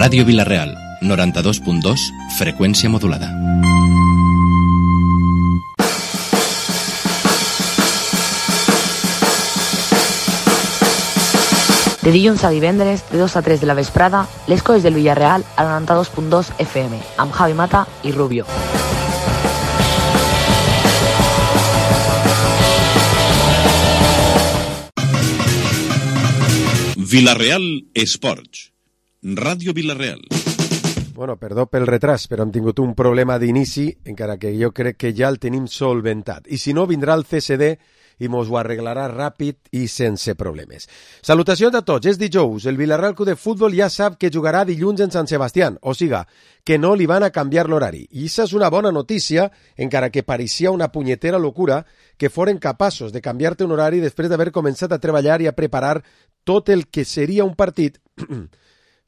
Ràdio Vila-real, 92.2, freqüència modulada. De dilluns a divendres, de 2 a 3 de la vesprada, les coses del Villarreal al 92.2 FM, amb Javi Mata i Rubio. Vila-real Esports. Ràdio Vila-real. Bueno, perdó pel retras, però hem tingut un problema d'inici, encara que jo crec que ja el tenim solventat. I si no, vindrà el CSD i mos ho arreglarà ràpid i sense problemes. Salutacions a tots, és dijous. El Villarreal Club de Futbol ja sap que jugarà dilluns en Sant Sebastián, o siga, que no li van a canviar l'horari. I això és una bona notícia, encara que pareixia una punyetera locura que foren capaços de canviar-te un horari després d'haver començat a treballar i a preparar tot el que seria un partit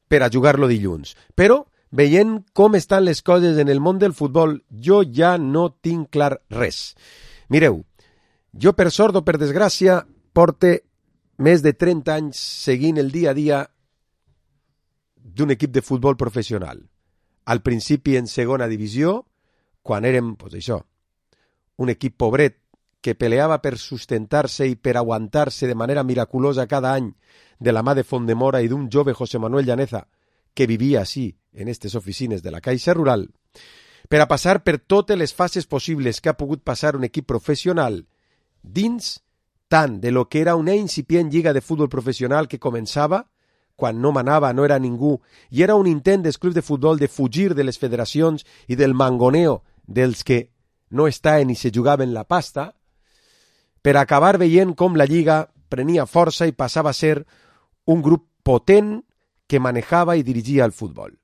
per a jugar-lo dilluns. Però, veient com estan les coses en el món del futbol, jo ja no tinc clar res. Mireu, jo per sort o per desgràcia porte més de 30 anys seguint el dia a dia d'un equip de futbol professional. Al principi en segona divisió, quan érem, pues això, un equip pobret que peleava per sustentar-se i per aguantar-se de manera miraculosa cada any de la mà de Fondemora i d'un jove José Manuel Llaneza que vivia així en aquestes oficines de la Caixa Rural, per a passar per totes les fases possibles que ha pogut passar un equip professional dins tant de lo que era una incipient lliga de futbol professional que començava, quan no manava, no era ningú, i era un intent dels clubs de futbol de fugir de les federacions i del mangoneo dels que no estaven i se jugaven la pasta, per acabar veient com la lliga prenia força i passava a ser un grup potent que manejava i dirigia el futbol.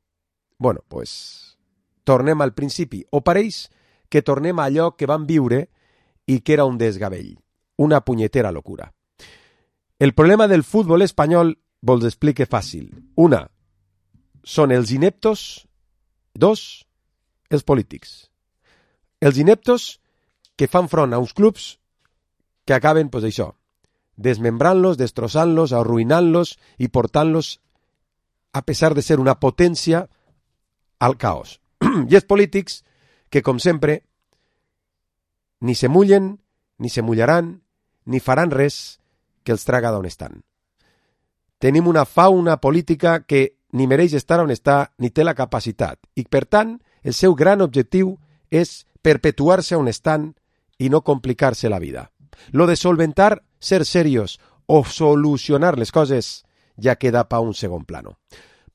Bueno, pues, tornem al principi. O pareix que tornem a allò que vam viure i que era un desgavell, una punyetera locura. El problema del futbol espanyol vos explique fàcil. Una, són els ineptos. Dos, els polítics. Els ineptos que fan front a uns clubs que acaben, pues això, desmembrant-los, destrossant-los, arruïnant-los i portant-los, a pesar de ser una potència, al caos. I els polítics que, com sempre, ni se mullen, ni se mullaran, ni faran res que els traga d'on estan. Tenim una fauna política que ni mereix estar on està ni té la capacitat i, per tant, el seu gran objectiu és perpetuar-se on estan i no complicar-se la vida. Lo de solventar, ser serios o solucionar les coses ja queda pa un segon plano.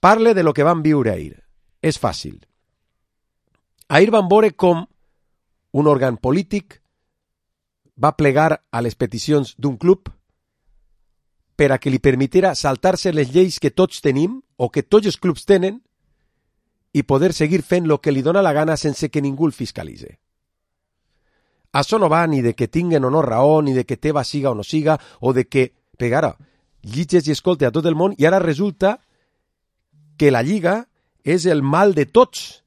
Parle de lo que van viure ahir. És fàcil. Ahir van veure com un òrgan polític va plegar a les peticions d'un club per a que li permetiera saltar-se les lleis que tots tenim o que tots els clubs tenen i poder seguir fent el que li dóna la gana sense que ningú el fiscalitze. Això no va ni de que tinguen o no raó, ni de que teva siga o no siga, o de que, pegara, llitges i escolte a tot el món, i ara resulta que la Lliga és el mal de tots,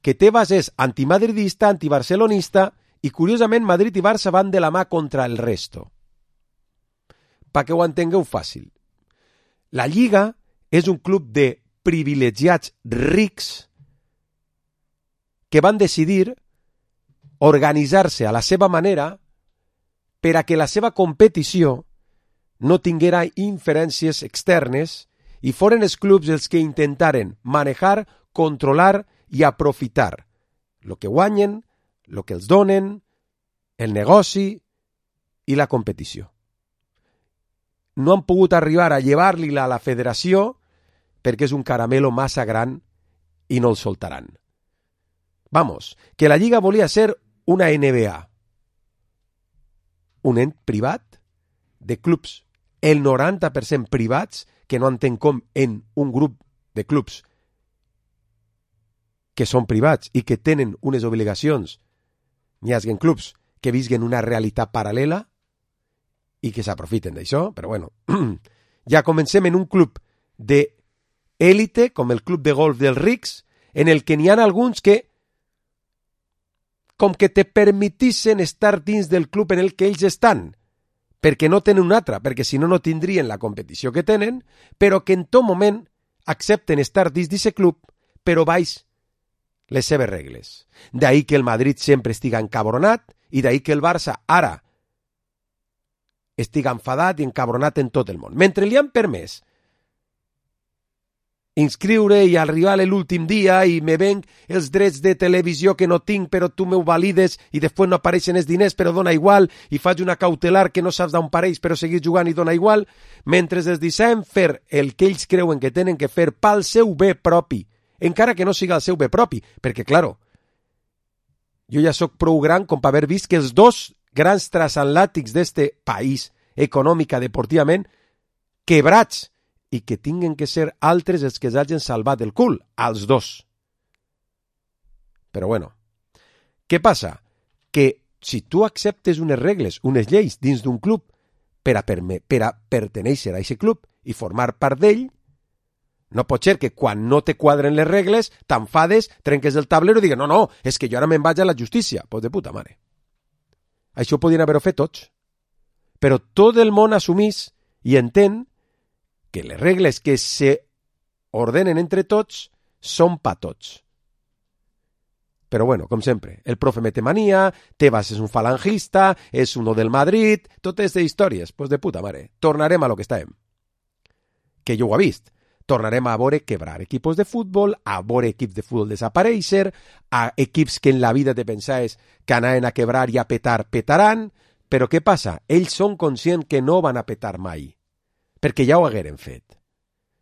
que Tebas és antimadridista, antibarcelonista, i curiosament Madrid i Barça van de la mà contra el resto. Perquè ho entengueu fàcil. La Lliga és un club de privilegiats rics que van decidir organitzar-se a la seva manera per a que la seva competició no tinguera inferències externes i foren els clubs els que intentaren manejar, controlar i aprofitar el que guanyen, el que els donen, el negoci i la competició. No han pogut arribar a llevar-li-la a la federació perquè és un caramelo massa gran i no el soltaran. Vamos, que la Lliga volia ser una NBA, un ent privat de clubs, el 90% privats, que no entenc com en un grup de clubs que són privats i que tenen unes obligacions, n'hi haguen clubs que visquen una realitat paral·lela i que s'aprofiten d'això, però bueno, ja comencem en un club d'élite, com el club de golf dels rics, en el que n'hi ha alguns que com que te permetissen estar dins del club en el que ells estan, perquè no tenen un altre, perquè si no, no tindrien la competició que tenen, però que en tot moment accepten estar dins d'aquest club, però baix les seves regles. D'ahí que el Madrid sempre estiga encabronat i d'ahí que el Barça ara estiga enfadat i encabronat en tot el món. Mentre li han permès inscriure i arribar a l'últim dia i me venc els drets de televisió que no tinc però tu m'ho valides i després no apareixen els diners però dona igual i faig una cautelar que no saps d'on pareix però seguir jugant i dona igual, mentre es deixem fer el que ells creuen que tenen que fer pel seu bé propi, encara que no siga el seu bé propi, perquè, claro, jo ja sóc prou gran com per haver vist que els dos grans transatlàntics d'este país, econòmica, deportivament, quebrats, i que tinguen que ser altres els que els hagin salvat el cul, als dos. Però bueno, què passa? Que si tu acceptes unes regles, unes lleis dins d'un club per a pertenèixer a aquest club i formar part d'ell, no pot ser que quan no te quadren les regles t'enfades, trenques el tablero i digues no, és que jo ara me'n vaig a la justícia. Pues de puta mare. Això ho podien haver fet tots. Però tot el món assumís i entén que les regles que se ordenen entre tots són pa tots. Però bueno, com sempre, el profe mete manía, Tebas és un falangista, és uno del Madrid, totes aquestes històries, pues de puta mare. Tornarem a lo que estàvem. Que jo ho he vist. Tornarem a veure quebrar equipos de futbol, a veure equips de futbol desaparèixer, a equips que en la vida te pensaves que anaven a quebrar i a petar, petaran, però què passa? Ells són conscients que no van a petar mai, perquè ja ho hagueren fet.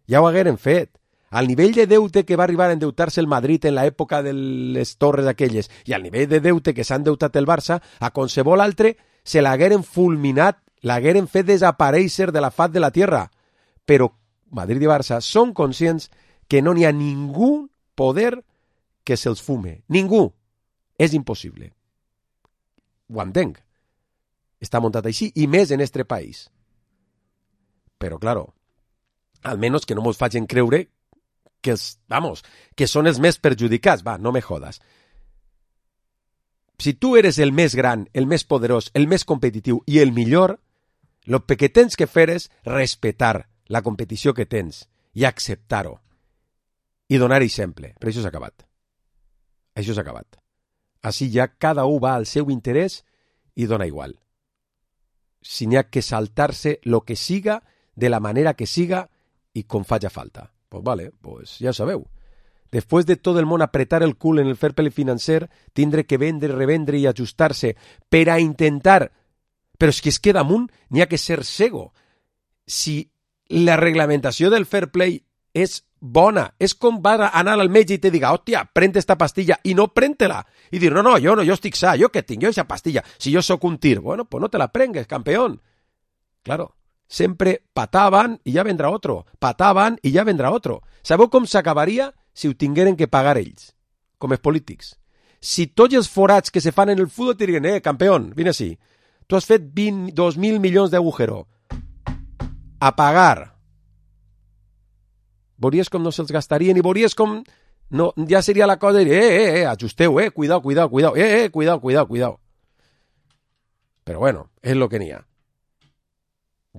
Ja ho hagueren fet. Al nivell de deute que va arribar a endeutar-se el Madrid en l'època de les torres aquelles i al nivell de deute que s'ha endeutat el Barça, a qualsevol altre se l'hagueren fulminat, l'hagueren fet desaparèixer de la faz de la tierra. Però Madrid i Barça són conscients que no n'hi ha ningú poder que se'ls fume. Ningú. És impossible. Ho entenc. Està muntat així, i més en este país. Però, claro, almenys que no mos facin creure que que són els més perjudicats. Va, no me jodas. Si tu eres el més gran, el més poderós, el més competitiu i el millor, el que tens que fer és respetar la competició que tens i acceptar-ho i donar exemple. Però això s'ha acabat. Això s'ha acabat. Així ja cada un va al seu interès i dona igual. Si n'hi ha que saltar-se lo que siga, de la manera que siga i com faci falta. Pues vale, pues ja sabeu. Després de tot el món apretar el cul en el fair play financer, tindre que vendre, revendre i ajustar-se per a intentar... Però és que damunt n'hi ha que ser cego. Si la reglamentació del fair play és bona, és com va anar al metge i te diga, hòstia, pren esta pastilla i no pren-te-la. I dir, no, jo estic sa, jo què tinc, jo aquesta pastilla, si jo sóc un tir. Bueno, pues no te la prengues, campeón. Claro, sempre pataven i ja vendrà otro, pataven i ja vendrà otro. Sabeu com s'acabaria si ho tingueren que pagar ells, com els polítics? Si tots els forats que se fan en el futbol te diguen, campeón, vine així, tu has fet 2.000 milions d'agujero, a pagar. Veuries com no se'ls gastarien i veuries com no, ja seria la cosa de ajusteu, cuidao, cuidao. Però bueno, és lo que n'hi ha.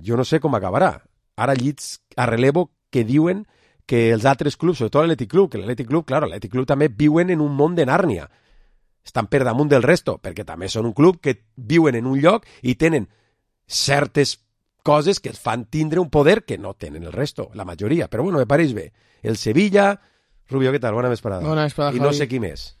Jo no sé com acabarà. Ara llits a relevo que diuen que els altres clubs, sobretot l'Atlètic Club, que l'Atlètic Club, claro, l'Atlètic Club també viuen en un món de Nàrnia. Estan per damunt del resto, perquè també són un club que viuen en un lloc i tenen certes coses que els fan tindre un poder que no tenen el resto, la majoria. Però bueno, me pareix bé. El Sevilla... Rubio, què tal? Bona vesprada. Bona vesprada, I no sé qui més.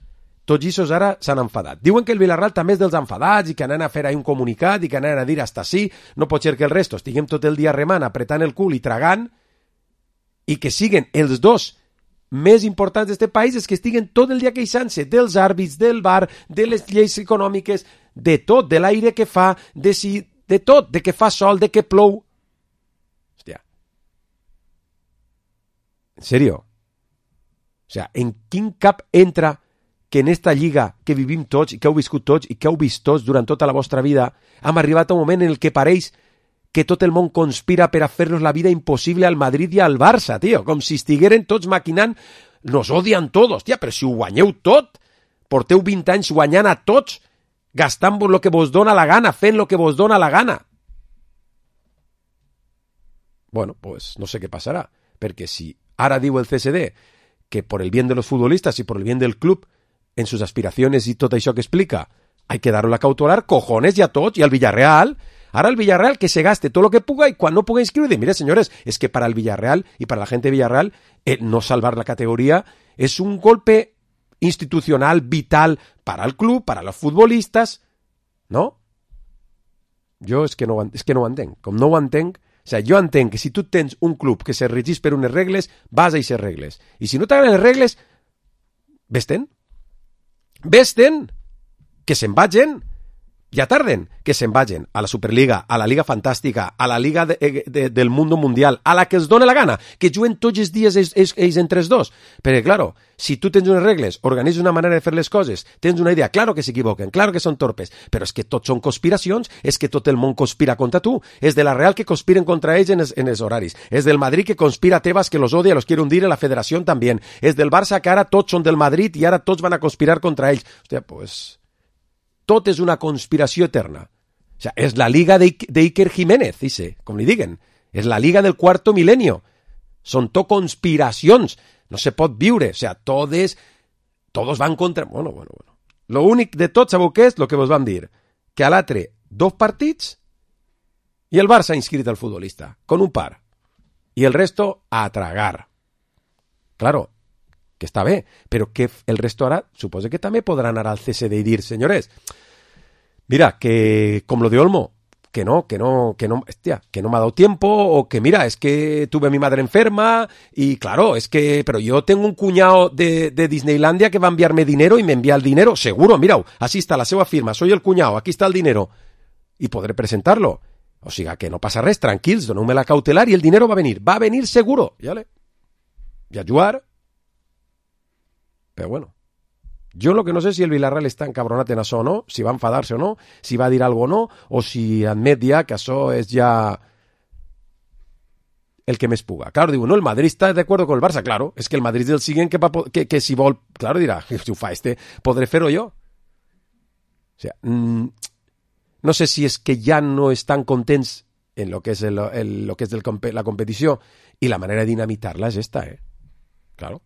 Tots ells ara s'han enfadat. Diuen que el Villarreal també és dels enfadats i que anen a fer ahí un comunicat i que anen a dir hasta sí, no pot ser que el resto estiguem tot el dia remant, apretant el cul i tragant i que siguen els dos més importants d'aquest país és que estiguen tot el dia queixant-se dels àrbits, del VAR, de les lleis econòmiques, de tot, de l'aire que fa, de tot, de que fa sol, de que plou. Hòstia. En serio? O sea, en quin cap entra que en esta lliga que vivim tots i que heu viscut tots i que heu vist tots durant tota la vostra vida hem arribat a un moment en el que pareix que tot el món conspira per a fer-nos la vida impossible al Madrid i al Barça, tio, com si estigueren tots maquinant, nos odian todos, tia, però si ho guanyeu tot, porteu 20 anys guanyant a tots, gastant-vos lo que vos dona la gana, fent lo que vos dona la gana. Bueno, pues no sé què passarà, perquè si Ara diu el CSD que por el bien de los futbolistas y por el bien del club, en sus aspiraciones y tot això que explica, hay que darle la cautelar, cojones, y a tots, y al Villarreal. Ahora el Villarreal que se gaste todo lo que puga y cuando no puga inscribir. Mire, señores, es que para el Villarreal y para la gente de Villarreal, no salvar la categoría es un golpe institucional vital para el club, para los futbolistas, ¿no? Jo és que no ho entenc. Com no ho entenc, o sigui, jo entenc que si tu tens un club que se regís per unes regles, vas a aquestes regles. I si no t'agraden les regles, ves-te'n. Ves-te'n. Que se'n vagin. Ja tarden. Que se'n vagin a la Superliga, a la Liga Fantàstica, a la Liga del Mundo Mundial, a la que els dóna la gana, que juguen tots els dies ells entre els dos. Perquè, claro, si tu tens unes regles, organitzes una manera de fer les coses, tens una idea, claro que s'equivoquen, claro que són torpes, però és que tots són conspiracions, és que tot el món conspira contra tu, és de la Real que conspiren contra ells en els horaris, és del Madrid que conspira a Tebas que los odia, los quiere hundir en la federació també, és del Barça que ara tots són del Madrid i ara tots van a conspirar contra ells. Hòstia, pues... tot és una conspiració eterna. O sea, és la liga de Iker Jiménez, dice, com li diguen. És la liga del cuarto milenio. Són tot conspiracions. No se pot viure. O sea, todos van contra... Bueno. Lo únic de tot, sabeu què és? Lo que vos vam dir. Que a l'altre, 2 partits i el Barça ha inscrit al futbolista, con un par. I el resto, a tragar. Claro, que està bé, però que el resto ara suposa que també podran anar al CSD i dir, senyores, mira, que com lo de Olmo, que no, hostia, que no me ha dado tiempo, o que mira, es que tuve a mi madre enferma, y claro, es que, pero yo tengo un cuñado de Disneylandia que va a enviarme dinero y me envía el dinero, seguro, mira, así está la seva firma, soy el cuñado, aquí está el dinero, y podré presentarlo. O siga, que no passa res, tranquils, doneu-me la cautelar y el dinero va a venir seguro, ¿vale? Y a jugar. Però bueno, jo lo que no sé si el Villarreal està encabronat en això o no, si va enfadar-se o no, si va dir algo o no, o si admet ja que això és ja el que més puga. Claro, digo, no, el Madrid está de acuerdo con el Barça, claro, es que el Madrid del siguiente que si vol, claro, dirà, si ho fa podré fer-ho jo. O sea, no sé si es que ja no estan contents en lo que és la competició i la manera de dinamitar-la és esta, claro.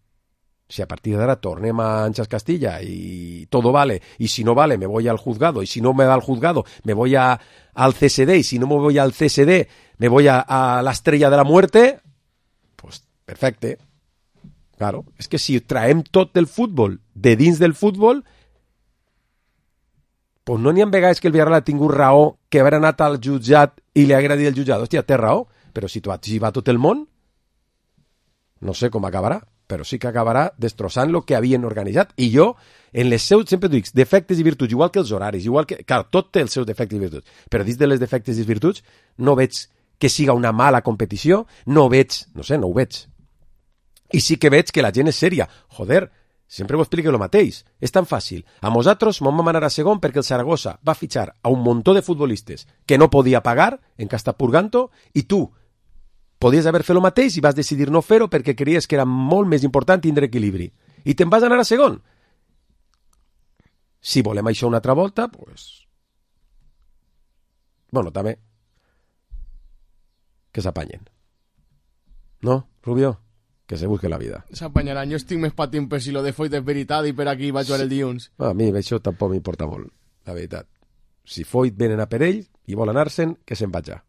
Si a partir de ahora tornem a Anchas Castilla y todo vale, y si no vale me voy al juzgado, y si no me va al juzgado me voy al CSD, y si no me voy al CSD me voy a la estrella de la muerte, pues perfecte. Claro, és que si traem tot del futbol de dins del futbol, pues no n'hi ha vegades que el Villarreal ha tingut raó que haver anat al jutjat i li haguera dit el jutjat, hòstia, té raó, però si va tot el món, no sé com acabarà, però sí que acabarà destrossant el que havien organitzat. I jo, en les seus, sempre dic, defectes i virtuts, igual que els horaris, igual que... Clar, tot té els seus defectes i virtuts, però dins de les defectes i virtuts no veig que siga una mala competició, no ho veig. I sí que veig que la gent és sèria. Joder, sempre ho explico el mateix. És tan fàcil. A nosaltres vam anar a segon perquè el Zaragoza va fitxar a un muntó de futbolistes que no podia pagar en que està purgant-ho, i tu podies haver fet el mateix i vas decidir no fer-ho perquè creies que era molt més important tindre equilibri. I te'n vas anar a segon. Si volem això una altra volta, pues... Bueno, també que s'apanyen. No, Rubio? Que se busque la vida. S'apanyaran. Jo estic més patint per si lo de Foyt és veritat i per aquí vaig jugar el dilluns. A mi això tampoc m'importa molt, la veritat. Si Foyt venen a per ell i vol anar-se'n, que se'n vaja.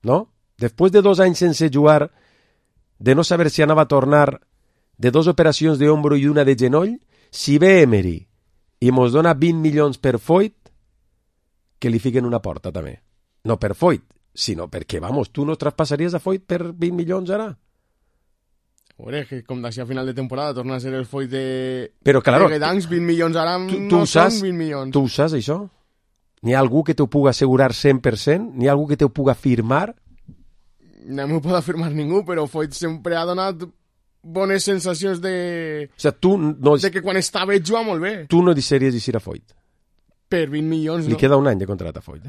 No? Després de 2 anys sense jugar, de no saber si anava a tornar, de 2 operacions d'ombro i una de genoll, si ve Emery i mos dona 20 milions per Foyt, que li fiquen una porta també. No per Foyt, sinó perquè, vamos, tu no traspassaries a Foyt per 20 milions ara? Joder, que com d'ací a final de temporada torna a ser el Foyt de... Però, claro, de Gdansk, 20 milions ara no són 20 milions. Tu ho saps, això? N'hi ha algú que t'ho puga assegurar 100%? N'hi ha algú que t'ho puga firmar? No m'ho pot afirmar ningú, però Foyt sempre ha donat bones sensacions de... O sigui, tu no... de que quan està bé juga molt bé. Tu no deixaries eixir a Foyt? Per 20 milions, no. Li queda un any de contrat a Foyt,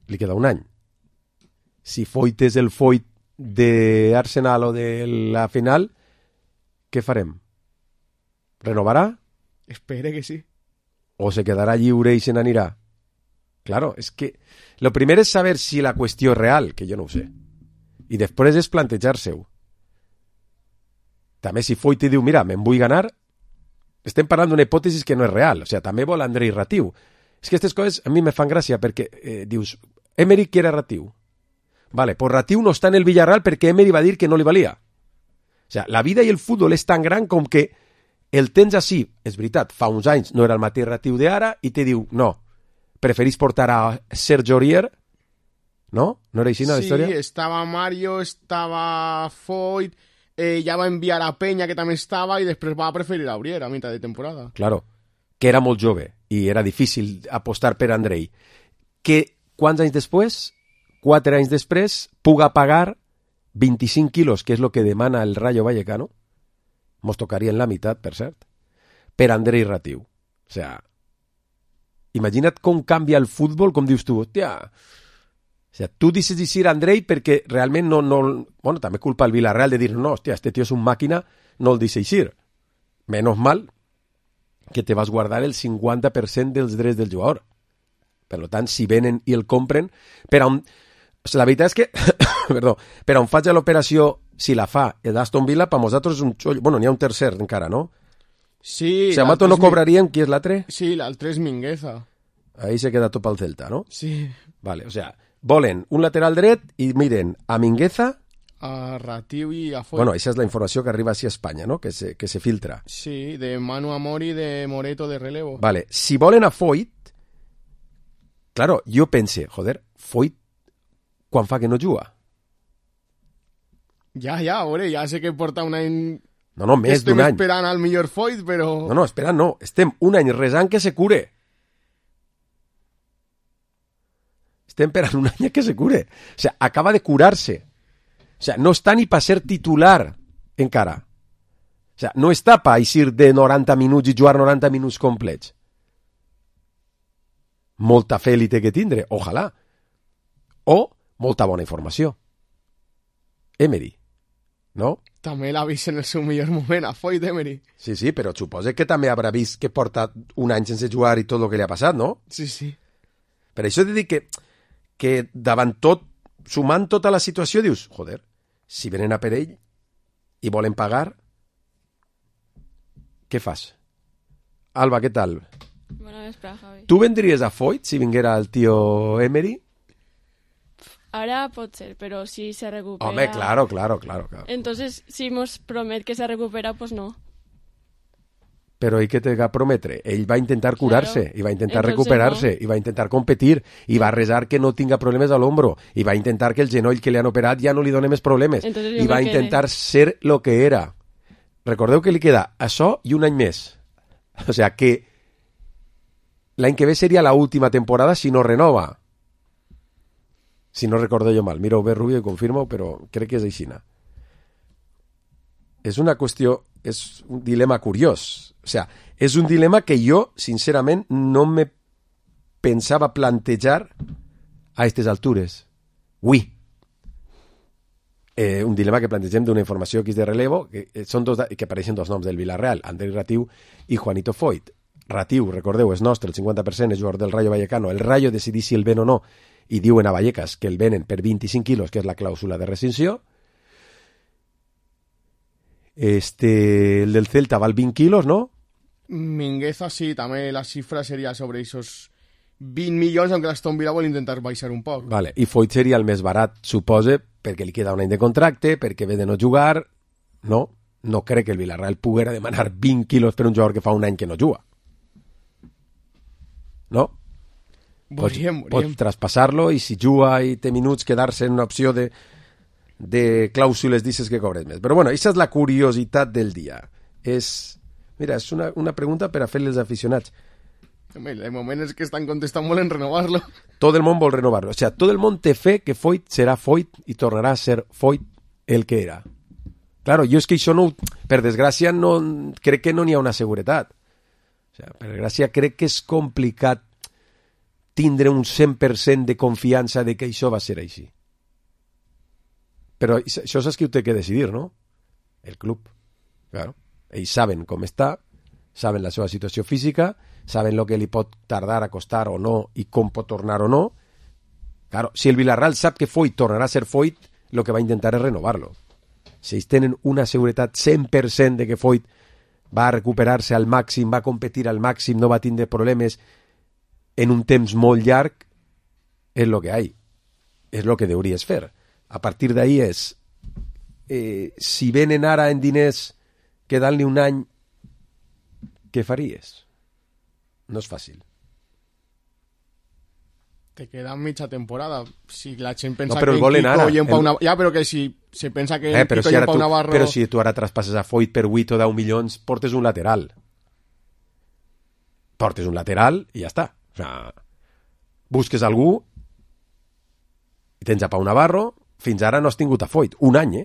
Li queda un any. Si Foyt és el Foyt d'Arsenal o de la final, què farem? Renovarà? Espere que sí. O se quedarà lliure i se n'anirà? Claro, es que lo primero es saber si la cuestión es real, que yo no ho sé. I després és plantejar-se-ho. També si Foyt diu, mira, me'n vull ganar, estem parlant d'una hipòtesi que no és real. O sigui, també vol Andrei Ratiu. És que aquestes coses a mi me fan gràcia perquè dius, Emery que era Ratiu. Vale, pues Ratiu no està en el Villarreal perquè Emery va dir que no li valia. O sigui, la vida i el futbol és tan gran com que el tens així, és veritat, fa uns anys no era el mateix Ratiu d'ara i te diu, no, preferís portar a Sergio Aurier, no? No era així la història? Sí, estava Mario, estava Foyt, ja va enviar a Peña, que també estava, i després va preferir a Aurier a mitjà de temporada. Claro, que era molt jove i era difícil apostar per Andrei. Que quants anys després, 4 anys després, puga pagar 25 quilos, que és el que demana el Rayo Vallecano, mos tocarien la meitat, per cert, per Andrei Ratiu. O sea, imagina't com canvia el futbol, com dius tu, hòstia. O sea, tu dices dir Andrei perquè realment no... Bueno, també culpa el Villarreal de dir, no, hòstia, este tio és un màquina, no el deixes ir. Menos mal que te vas guardar el 50% dels drets del jugador. Per tant, si venen i el compren, per on... O sigui, la veritat és que, perdó, per on faig l'operació, si la fa l'Aston Villa, per nosaltres és un xollo. Bueno, n'hi ha un tercer encara, no? Sí. Si Amato no cobraríem, qui és l'altre? Sí, l'altre és Mingueza. Ahí se queda tot pel Celta, no? Sí. Vale, o sea, volen un lateral dret i miren a Mingueza... A Ratiu i a Foyt. Bueno, aquesta és la informació que arriba així a Espanya, no? Que se filtra. Sí, de Manu Amor i de Moreto de relevo. Vale, si volen a Foyt... Claro, jo pense, joder, Foyt quan fa que no juga? Ja, veure, ja sé que porta un any... No, més d'un any. Estem esperant al millor Foyt, però... No, esperant no. Estem un any resant que se cure. Estem esperant un any que se cure. O sea, acaba de curar-se. O sea, no està ni per ser titular encara. O sea, no està per eixir de 90 minuts i jugar 90 minuts complets. Molta fe li té que tindre, ojalà. O molta bona informació. Emery, no? També l'ha vist en el seu millor moment, a Foyt Emery. Sí, però suposa que també haurà vist que porta un any sense jugar i tot el que li ha passat, no? Sí. Per això t'he dit que davant tot, sumant tota la situació, dius, joder, si venen a per ell i volen pagar, què fas? Alba, què tal? Bona vesprada, Javi. Tu vendries a Foyt si vinguera el tio Emery? Ara pot ser, pero si se recupera... Home, claro. Entonces, si nos promet que se recupera, pues no. Però i què té que prometre? Ell va intentar curar-se, i va intentar Entonces, recuperar-se, no. i va intentar competir, i va resar que no tinga problemes a l'ombro, i va intentar que el genoll que li han operat ja no li doni més problemes, Entonces, i va intentar ser lo que era. Recordeu que li queda això i un any més. O sea que l'any que ve seria la última temporada si no renova. Si no recordo jo mal. Mira-ho bé, Rubio, i confirma-ho, però crec que és aixina. És una qüestió, és un dilema curiós. O sea, és un dilema que jo, sincerament, no me pensava plantejar a aquestes altures. Ui. Un dilema que plantegem d'una informació que és de relevo, que són que apareixen dos noms del Villarreal, Andrei Ratiu i Juanito Foyt. Ratiu, recordeu, és nostre, el 50% és jugador del Rayo Vallecano. El Rayo decidís si el ven o no, i diuen a Vallecas que el venen per 25 quilos, que és la clàusula de rescinsió. El del Celta val 20 quilos, no? Mingueza sí, també la xifra seria sobre esos 20 milions, aunque l'Aston Villa vol intentar baixar un poc. Vale. I Foyt seria el més barat, supose, perquè li queda un any de contracte, perquè ve de no jugar. No crec que el Villarreal poguera demanar 20 quilos per un jugador que fa un any que no juga. No? Pot traspassar-lo i si juga i té minuts quedar-se en una opció de clàusules dices que cobres més. Però bueno, aquesta és la curiositat del dia. Mira, és una pregunta per a fer-li als aficionats. El moment és que estan contestant molt en renovar-lo. Tot el món vol renovar-lo. O sea, tot el món té fe que Foyt serà Foyt i tornarà a ser Foyt el que era. Claro, jo és que això no... Per desgràcia, no, crec que no n'hi ha una seguretat. O sea, per desgràcia, crec que és complicat tindre un 100% de confiança de que això va ser així. Però això saps qui ho té que decidir, no? El club. Claro. Ells saben com està, saben la seva situació física, saben el que li pot tardar a costar o no i com pot tornar o no. Claro, si el Villarreal sap que Foyt tornarà a ser Foyt, el que va intentar és renovar-lo. Si ells tenen una seguretat 100% de que Foyt va recuperar-se al màxim, va competir al màxim, no va tindre problemes en un temps molt llarg, és el que hi ha. És el que hauries fer. A partir d'ahí és, si venen ara en diners quedant-li un any, què faries? No és fàcil. Te queda mitja temporada. Si la gent pensa però que el volen ara. Kiko i en Pau Navarro... Ja, però que si se pensa que en però Kiko si i en ara Pau Navarro... Però si tu ara traspasses a Foyt per 8 o 10 milions, portes un lateral. Portes un lateral i ja està. O sea, busques algú i tens a Pau Navarro. Fins ara no has tingut a Foyt. Un any,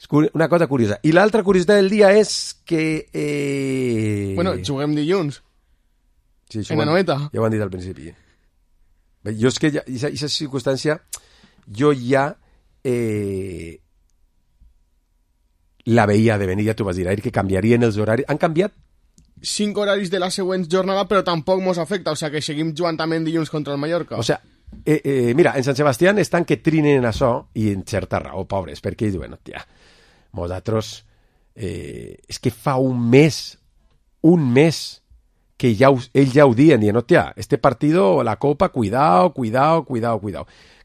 És una cosa curiosa. I l'altra curiositat del dia és que... Bueno, juguem dilluns. Sí, en Anoeta. Ja ho han dit al principi. Bé, jo és que aquesta circumstància jo ja la veia de venir, ja t'ho vas dir, que canviarien els horaris. Han canviat 5 horaris de la següent jornada, però tampoc mos afecta, o sigui que seguim jugant també en dilluns contra el Mallorca. O sigui, mira, en Sant Sebastián estan que trinen això i en certa raó, pobres, perquè ells diuen, hòstia, nosaltres és que fa un mes que ells ja ho dien, hòstia, este partido, la Copa, cuidado.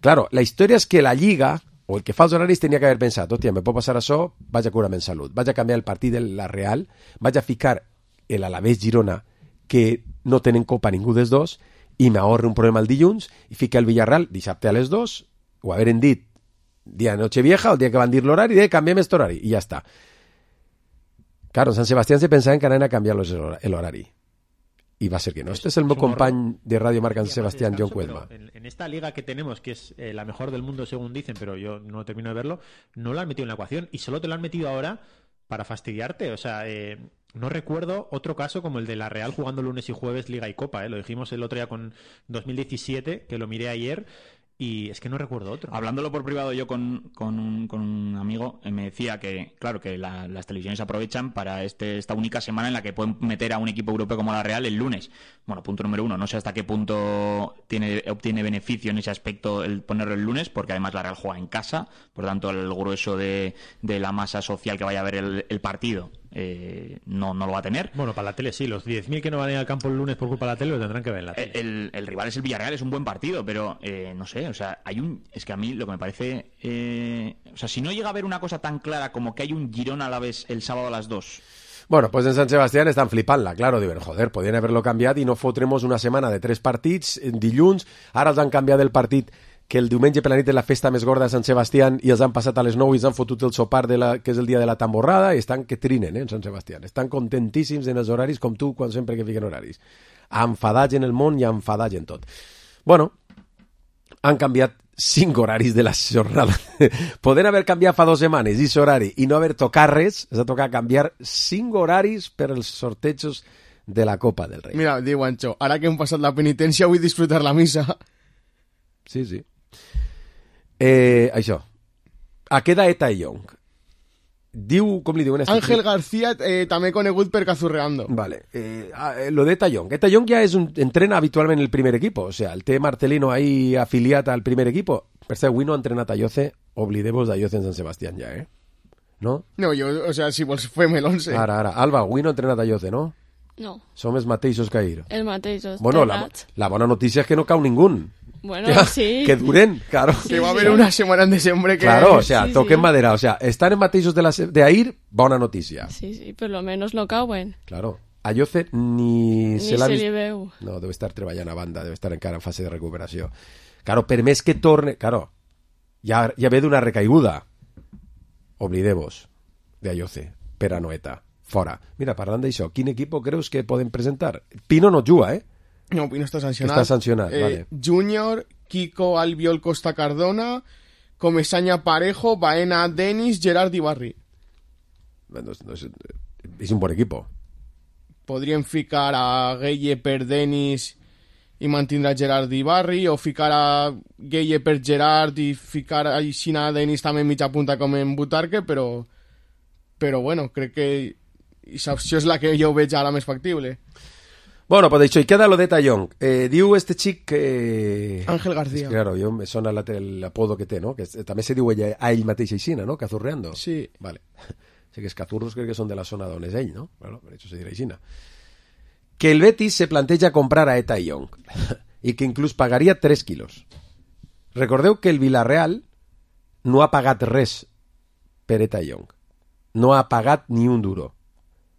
Claro, la història és que la Lliga, o el que fa els horaris, tenia que haver pensat, hòstia, me pot passar això, vaig a curar-me en salut, vaig a canviar el partit de la Real, vaig a ficar el Alavés Girona, que no tenen Copa ningú dels dos, i m'ahorre un problema el dilluns, i fica el Villarreal dissabte a les 2, ho haveren dit dia de Nochevieja, el dia que van dir l'horari, i canviem aquest horari, i ja està. Claro, en Sant Sebastián se pensaven que anaven a canviar l'horari. Y va a ser que no. Este es el meu company de Radio Marca San Sebastián, John Cuelma. En esta liga que tenemos, que es la mejor del mundo según dicen, pero yo no termino de verlo, no lo han metido en la ecuación y solo te lo han metido ahora para fastidiarte. O sea, no recuerdo otro caso como el de la Real jugando lunes y jueves Liga y Copa. Lo dijimos el otro día con 2017, que lo miré ayer. Y es que no recuerdo otro. Hablándolo por privado yo con un amigo, me decía que, claro, que las televisiones aprovechan para esta única semana en la que pueden meter a un equipo europeo como la Real el lunes. Bueno, punto número 1, no sé hasta qué punto obtiene beneficio en ese aspecto el ponerlo el lunes, porque además la Real juega en casa, por tanto el grueso de la masa social que vaya a ver el partido no lo va a tener. Bueno, para la tele sí, los 10.000 que no van a ir al campo el lunes por culpa de la tele lo tendrán que ver en la tele. El rival es el Villarreal, es un buen partido, pero no sé, o sea, es que a mí lo que me parece, o sea, si no llega a haber una cosa tan clara como que hay un Girona a la vez el sábado a las 2. Bueno, pues en Sant Sebastián estan flipant-la, claro, diuen, joder, podien haver-lo canviat i no fotremos una setmana de 3 partits en dilluns, ara els han canviat el partit que el diumenge per la nit és la festa més gorda de Sant Sebastián i els han passat a les 9 i els han fotut el sopar que és el dia de la tamborrada i estan que trinen, en Sant Sebastián. Estan contentíssims en els horaris com tu quan sempre que fiquen horaris. Enfadats en el món i enfadats en tot. Bueno, han canviat 5 horaris de la jornada. Poden haver canviat fa 2 setmanes aquest horari i no haver tocat res, és a tocar canviar 5 horaris per als sortejos de la Copa del Rei. Mira, diu Ancho, ara que hem passat la penitència vull disfrutar la missa. Sí, sí. Això. A queda Eta Young. Diu, com li diuen? Ángel García, també conegut per Cazurreando. Vale. Lo de Eta Young. Eta Young ja entrena habitualment el primer equipo. O sea, el té Marcelino ahí afiliat al primer equipo. Per cert, avui no ha entrenat a Yoce. Oblidemos d'Ayoce en Sant Sebastián ja, ¿No? No, jo, o sea, si vols fem l'11. Ara. Alba, avui no ha entrenat a Yoce, no? No. Som els mateixos que ahir. Els mateixos. Bueno, la bona notícia és que no cau ningú. Bueno, ya, sí. Que duren, claro. Sí, que va a haber una semana en diciembre que... Claro, o sea, sí, toquen sí. madera. O sea, estar en mateixos de ahir, bona notícia. Sí, por lo menos no cauen. Claro. A Yoce ni se l'ha vist... li veu. No, deu estar treballant a banda, deu estar encara en fase de recuperació. Claro, per més que torne... Claro, ja ve d'una recaiguda. Oblidemos de Ayoce, per Anoeta. Fora. Mira, parlant d'això, quin equip creus que poden presentar? Pino no juga, No, Pino està sancionat. Està sancionat, vale. Júnior, Kiko Albiol Costa Cardona, Comesaña Parejo, Baena Denis, Gerard Ibarri. És un bon equipo. Podrien ficar a Gueye per Denis i mantindre a Gerard Ibarri, o ficar a Gueye per Gerard i ficar a Xina Denis també en mitja punta com en Butarque, però bueno, crec que aquesta opció és la que jo veig ara més factible. Bueno, pues dicho, y queda lo de Tallón. Diu este xic que... Ángel García. Es que, claro, jo me sona l'apodo que té, no? Que també se diu ella, a ell mateix aixina, no? Cazurreando. Sí. Vale. Sé que els cazurros crec que són de la zona d'on és ell, no? Bueno, per això se dirà aixina. Que el Betis se planteja comprar a Eta Young i que inclús pagaria 3 quilos. Recordeu que el Villarreal no ha pagat res per Eta Young. No ha pagat ni un duro.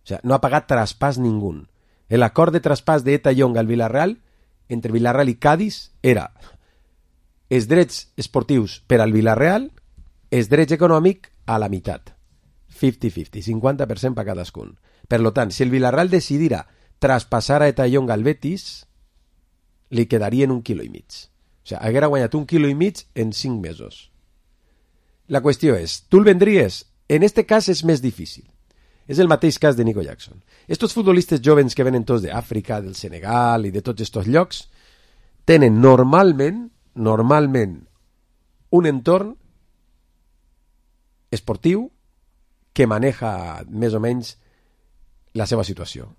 O sea, no ha pagat traspàs ningú. El acord de traspàs d'Eta Young al Villarreal, entre Villarreal i Cádiz, era els drets esportius per al Villarreal, els drets econòmic a la meitat. 50-50, 50% per cadascun. Per tant, si el Villarreal decidira traspassar a Eta Young al Betis, li quedarien 1,5 quilo. O sigui, haguera guanyat 1,5 quilo en 5 mesos. La qüestió és, tu el vendries? En este cas és més difícil. És el mateix cas de Nico Jackson. Estos futbolistes jovens que venen tots d'Àfrica, del Senegal i de tots estos llocs, tenen normalment, un entorn esportiu que maneja més o menys la seva situació.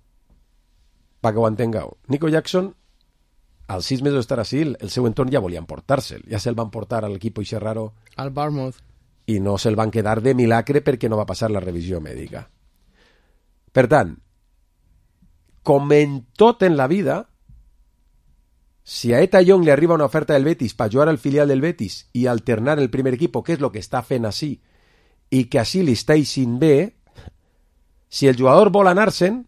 Perquè ho entengueu. Nico Jackson, als 6 mesos d'estar així, el seu entorn ja volien portar-se'l. Ja se'l van portar a l'equip Ixerraro al Bournemouth i no se'l van quedar de milagre perquè no va passar la revisió mèdica. Per tant, com en tot en la vida, si a Eta Young li arriba una oferta del Betis per jugar al filial del Betis i alternar el primer equip, que és el que està fent així, i que així li està eixint bé, si el jugador vol anar-se'n,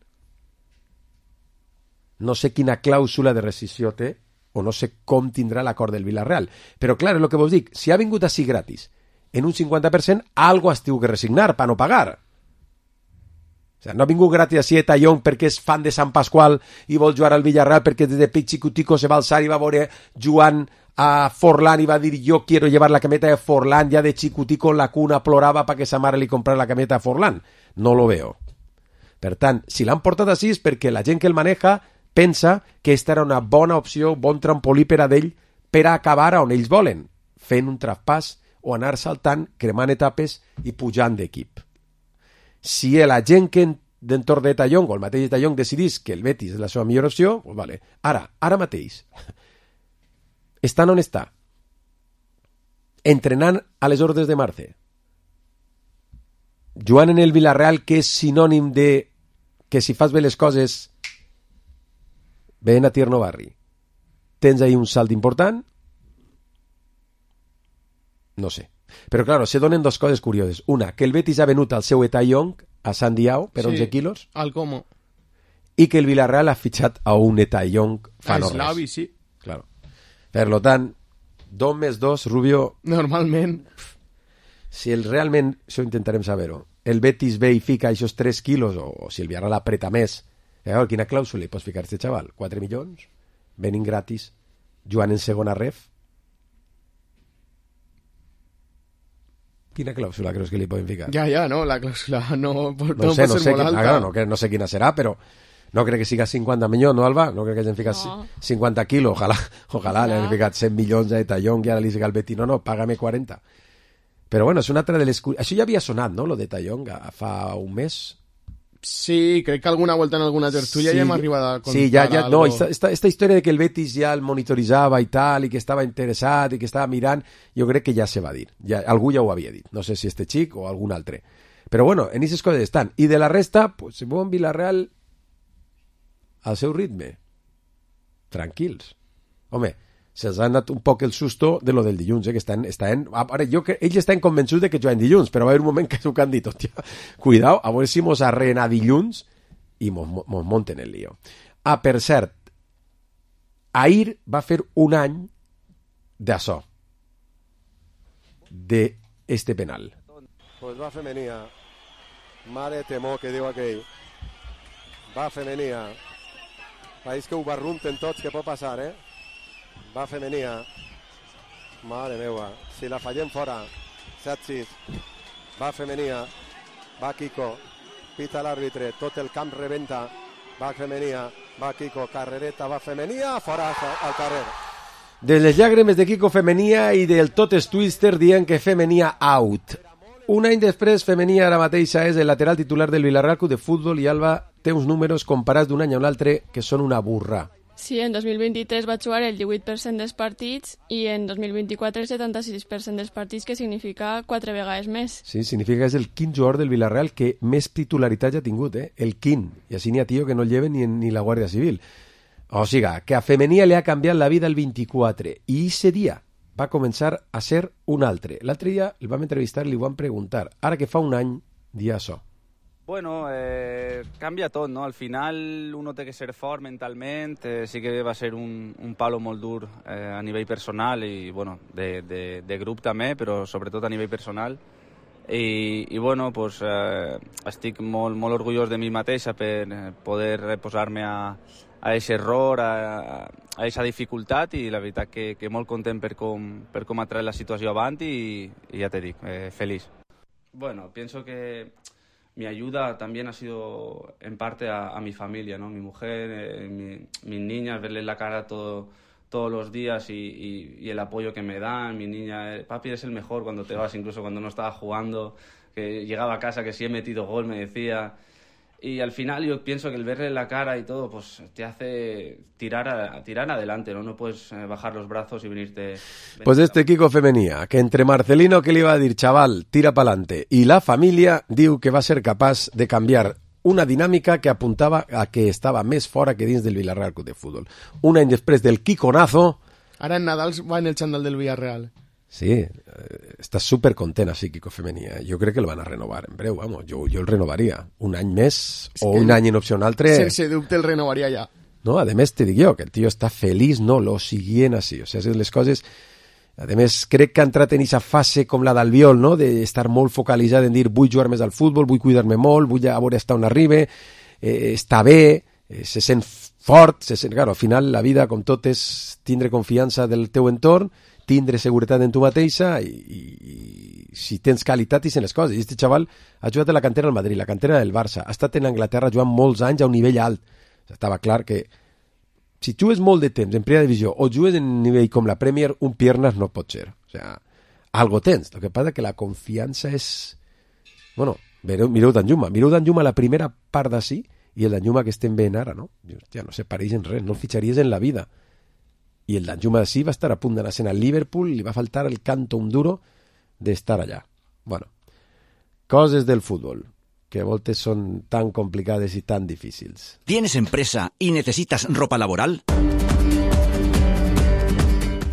no sé quina clàusula de rescissió té, o no sé com tindrà l'acord del Villarreal. Però clar, és el que vos dic, si ha vingut així gratis, en un 50%, algo has tingut que resignar per no pagar. O sigui, no ha vingut gratis a Eta Young perquè és fan de Sant Pasqual i vol jugar al Villarreal perquè des de Pichicutico se va alçar i va veure jugant a Forlán i va dir yo quiero llevar la cameta de Forlán, ya de Chicutico en la cuna plorava para que sa mare li comprara la cameta de Forlán. No lo veo. Per tant, si l'han portat així és perquè la gent que el maneja pensa que esta era una bona opció, bon trampolí per a d'ell per a acabar on ells volen, fent un traspàs o anar saltant, cremant etapes i pujant d'equip. Si la gent que d'entorn d'Eta Young o el mateix Eta Young decidís que el Betis és la seva millor opció, pues vale. Ara mateix, estan on està, entrenant a les ordres de Marce, jugant en el Villarreal, que és sinònim de que si fas bé les coses ven a Tierno Barri, tens ahí un salt important. No sé. Però, claro, se donen dos coses curioses. Una, que el Betis ha venut al seu Eta Young a San Diao per 11 quilos. Al Como. I que el Villarreal ha fitxat a un Eta Young fa no res. Slavi, sí. Claro. Per lo tant, 2 més 2, Rubio... Normalment. Si realment, això intentarem saber-ho, el Betis ve i fica aquests 3 quilos, o si el Villarreal apreta més, quina clàusula hi pots ficar este xaval? 4 milions? Venint gratis, jugant en segona ref? Quina clàusula creus que li poden ficar? Ja, no, la clàusula no sé quina serà, però no crec que siga 50 milions, no, Alba? No crec que hagin ficat 50 quilos, ojalà li hagin ficat 100 milions a Eta Young i ara li diga al Betis, no, págame 40. Però bueno, és una altra de les... Això ja havia sonat, no?, lo d'Eta Young, fa un mes. Sí, crec que alguna volta en alguna tertúlia ja hem arribat a contar. Sí, ja, no, esta història de que el Betis ja el monitoritzava i tal, i que estava interessat i que estava mirant, jo crec que ja se va dir. Algú ja ho havia dit. No sé si este xic o algun altre. Però bueno, en aquestes coses estan. I de la resta, pues, se mueven Villarreal al seu ritme. Tranquils. Home, se'ls ha anat un poc el susto de lo del dilluns, que ara, ells estan convençuts de que juguen dilluns, però va haver un moment que s'ho han dit, hòstia, cuidao, a veure si mos arrena dilluns i mos monten el lío. Per cert, ahir va fer un any d'això, d'este penal. Pues va femenia, mare temor que diu aquell, va femenia, país que ho barrunten tots, que pot passar, va femenia, mare meva, si la fallem fora, 7-6, va femenia, va Kiko, pita l'àrbitre, tot el camp rebenta, va femenia, va Kiko, carrereta, va femenia, fora al carrer. De les llàgrimes de Kiko femenia i del Totes Twister dient que femenia out. Un any després, femenia ara mateixa és el lateral titular del Villarreal Club de Futbol i Alba té uns números comparats d'un any a un altre que són una burra. Sí, en 2023 va jugar el 18% dels partits i en 2024 el 76% dels partits, que significa 4 vegades més. Sí, significa que és el quint jugador del Villarreal que més titularitat ja ha tingut, el quint. I així n'hi ha tio que no el lleven ni la Guàrdia Civil. O sigui, que a Femenia li ha canviat la vida el 24 i ese dia va començar a ser un altre. L'altre dia el vam entrevistar i li vam preguntar, ara que fa un any, dia això. Bueno, canvia tot, no? Al final uno té que ser fort mentalment, sí que va ser un palo molt dur a nivell personal i bueno, de grup també, però sobretot a nivell personal. I bueno, pues, estic molt orgullós de mi mateixa per poder posar-me a aquest error, a aquesta dificultat, i la veritat que molt content per com ha tret la situació avant i ja te dic, feliç. Bueno, pienso que mi ayuda también ha sido en parte a mi familia, ¿no? Mi mujer, mis niñas, verles la cara todos los días y el apoyo que me dan. Mi niña, papi, eres el mejor cuando te vas, incluso cuando no estaba jugando, que llegaba a casa que si he metido gol me decía. Y al final yo pienso que el verle la cara y todo, pues te hace tirar adelante, ¿no? No puedes bajar los brazos y venirte... Pues Kiko Femenia, que entre Marcelino, que le iba a decir, chaval, tira pa'lante, y la familia, diu que va a ser capaz de cambiar una dinàmica que apuntava a que estava més fora que dins del Villarreal Club de Fútbol. Un any després del Quiconazo... Ara en Nadal va en el xandall del Villarreal. Sí, està supercontent així, Kiko Femenia. Jo crec que el van a renovar en breu, vamos. Jo el renovaria. Un any més o un any en opció un altre... Sense dubte el renovaria ja. No, a més te dic jo, que el tio està feliç, no, lo siguient així. O sigui, les coses... A més, crec que ha entrat en aquesta fase com la d'Albiol, no?, d'estar molt focalitzat en dir vull jugar més al futbol, vull cuidar-me molt, vull a veure hasta on arribe, està bé, se sent fort, claro, al final la vida, com tot, és tindre confiança del teu entorn, tindre seguretat en tu mateixa i si tens qualitat i sent les coses. I aquest xaval ha jugat a la cantera del Madrid, la cantera del Barça, ha estat en Anglaterra jugant molts anys a un nivell alt. Estava clar que si jugues molt de temps en primera divisió o jugues en un nivell com la Premier, un piernas no pot ser. O sea, algo tens. Lo que passa és que la confiança és... Bueno, mireu Danjuma la primera part d'ací i el Danjuma que estem veient ara, no? Ja no se pareixen res, no el fitxaries en la vida. I el Danjuma de sí va estar a punt d'anar al Liverpool, li va faltar el canto un duro d'estar allà. Bueno, coses del fútbol que a voltes son tan complicadas y tan difíciles. ¿Tienes empresa y necesitas ropa laboral?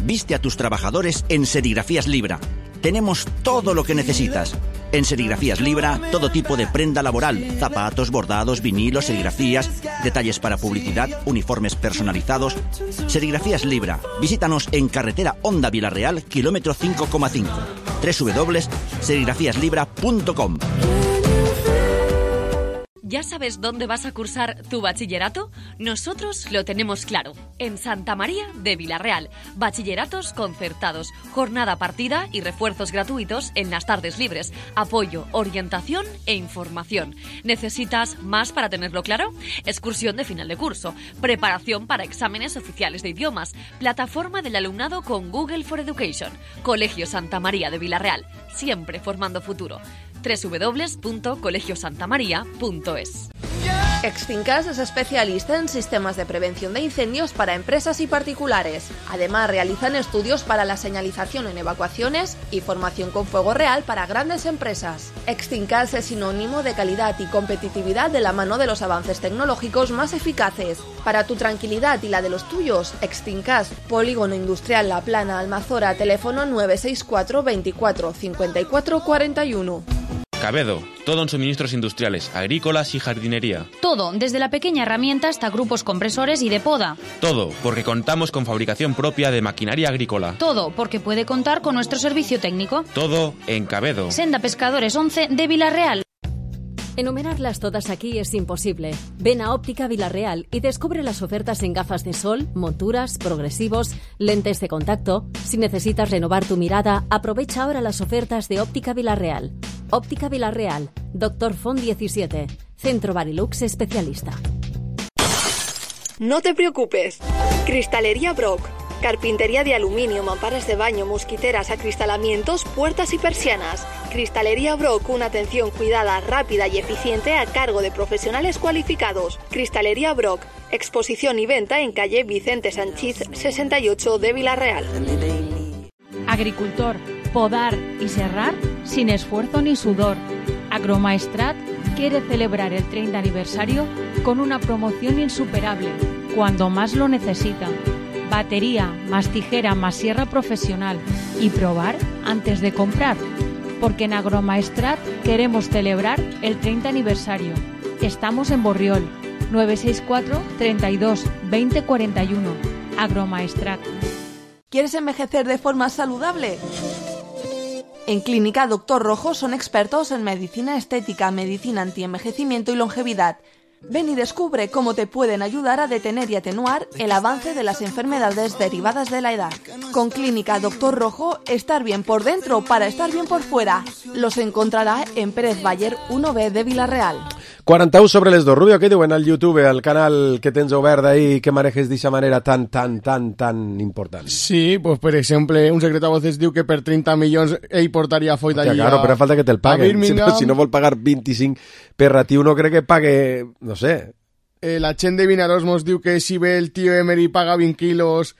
Viste a tus trabajadores en Serigrafías Libra. Tenemos todo lo que necesitas. En Serigrafías Libra, todo tipo de prenda laboral, zapatos, bordados, vinilos, serigrafías, detalles para publicidad, uniformes personalizados. Serigrafías Libra. Visítanos en carretera Honda Villarreal, kilómetro 5,5. www.serigrafíaslibra.com. ¿Ya sabes dónde vas a cursar tu bachillerato? Nosotros lo tenemos claro. En Santa María de Villarreal. Bachilleratos concertados, jornada partida y refuerzos gratuitos en las tardes libres. Apoyo, orientación e información. ¿Necesitas más para tenerlo claro? Excursión de final de curso. Preparación para exámenes oficiales de idiomas. Plataforma del alumnado con Google for Education. Colegio Santa María de Villarreal. Siempre formando futuro. www.colegiosantamaria.es. Extincas es especialista en sistemas de prevención de incendios para empresas y particulares. Además, realizan estudios para la señalización en evacuaciones y formación con fuego real para grandes empresas. Extincas es sinónimo de calidad y competitividad de la mano de los avances tecnológicos más eficaces. Para tu tranquilidad y la de los tuyos, Extincas, Polígono Industrial La Plana, Almazora, teléfono 964 24 54 41. Cabedo, todo en suministros industriales, agrícolas y jardinería. Todo, desde la pequeña herramienta hasta grupos compresores y de poda. Todo, porque contamos con fabricación propia de maquinaria agrícola. Todo, porque puede contar con nuestro servicio técnico. Todo en Cabedo. Senda Pescadores 11 de Villarreal. Enumerarlas todas aquí es imposible. Ven a Óptica Villarreal y descubre las ofertas en gafas de sol, monturas, progresivos, lentes de contacto. Si necesitas renovar tu mirada, aprovecha ahora las ofertas de Óptica Villarreal. Óptica Villarreal, Dr. Font 17, Centro Barilux especialista. No te preocupes. Cristalería Brock. Carpintería de aluminio, mamparas de baño, mosquiteras, acristalamientos, puertas y persianas. Cristalería Brock, una atención cuidada, rápida y eficiente a cargo de profesionales cualificados. Cristalería Brock, exposición y venta en calle Vicente Sanchiz 68 de Vila-real. Agricultor, podar y serrar sin esfuerzo ni sudor. Agromaestrat quiere celebrar el 30 aniversario con una promoción insuperable, cuando más lo necesita. Batería, más tijera, más sierra profesional y probar antes de comprar. Porque en Agromaestrat queremos celebrar el 30 aniversario. Estamos en Borriol, 964 32 20 41. Agromaestrat. ¿Quieres envejecer de forma saludable? En Clínica Doctor Rojo son expertos en medicina estética, medicina antienvejecimiento y longevidad. Ven y descubre cómo te pueden ayudar a detener y atenuar el avance de las enfermedades derivadas de la edad. Con Clínica Doctor Rojo, estar bien por dentro para estar bien por fuera. Los encontrará en Pérez Baller 1B de Vila-real. 41 sobre les dos. Rubio, què diuen al YouTube, al canal que tens obert ahí, que manejes d'aquesta manera tan important? Sí, pues per exemple, un secret a voces diu que per 30 milions ell portaria foll d'allí. Claro, però falta que te'l paguen. Si no vol pagar 25 per ratiu, no crec que pague, no sé. La gent de Vinaròs mos diu que si ve el tio Emery paga 20 quilos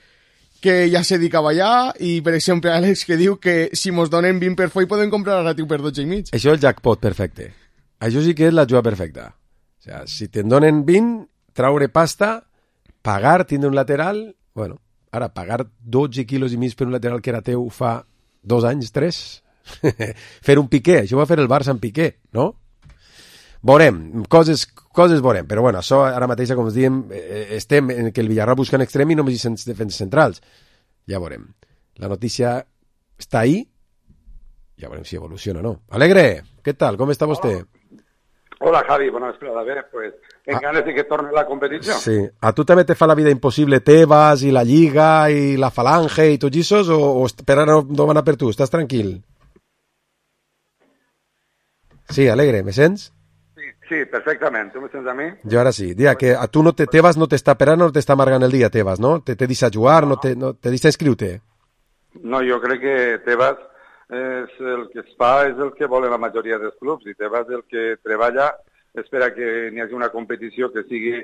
que ja se dedicava allà, i per exemple Àlex que diu que si mos donen 20 per foll poden comprar a ratiu per 12,5. Això és el jackpot perfecte. Això sí que és la jugada perfecta. O sea, si te'n donen 20, traure pasta, pagar, tindre un lateral... Bueno, ara, pagar 12 quilos i mig per un lateral que era teu fa 2 anys, 3? Fer un Piqué, això va fer el Barça en Piqué, no? Veurem, coses veurem, però bueno, això ara mateix, com us diem, estem en que el Villarreal busca en extrem i només hi sents defenses centrals. Ja veurem. La notícia està ahí, ja veurem si evoluciona o no. Alegre, què tal? Com està vostè? Hola Javi, bona vesprada. Bé, pues, en ganes de que torne la competició. Sí. A tu també te fa la vida impossible Tebas i la Lliga i la Falange i tots aquests, o per ara no van a per tu? Estàs tranquil? Sí, Alegre, me sents? Sí, perfectament. Tu me sents a mi? Jo ara sí. Dia, que a tu Tebas no t'està per ara, no t'està amargant el dia, Tebas, no? Te deixa jugar, no te deixa inscriure-te? No, jo crec que Tebas és el que es fa, és el que volen la majoria dels clubs, i Tebas el que treballa espera que n'hi hagi una competició que sigui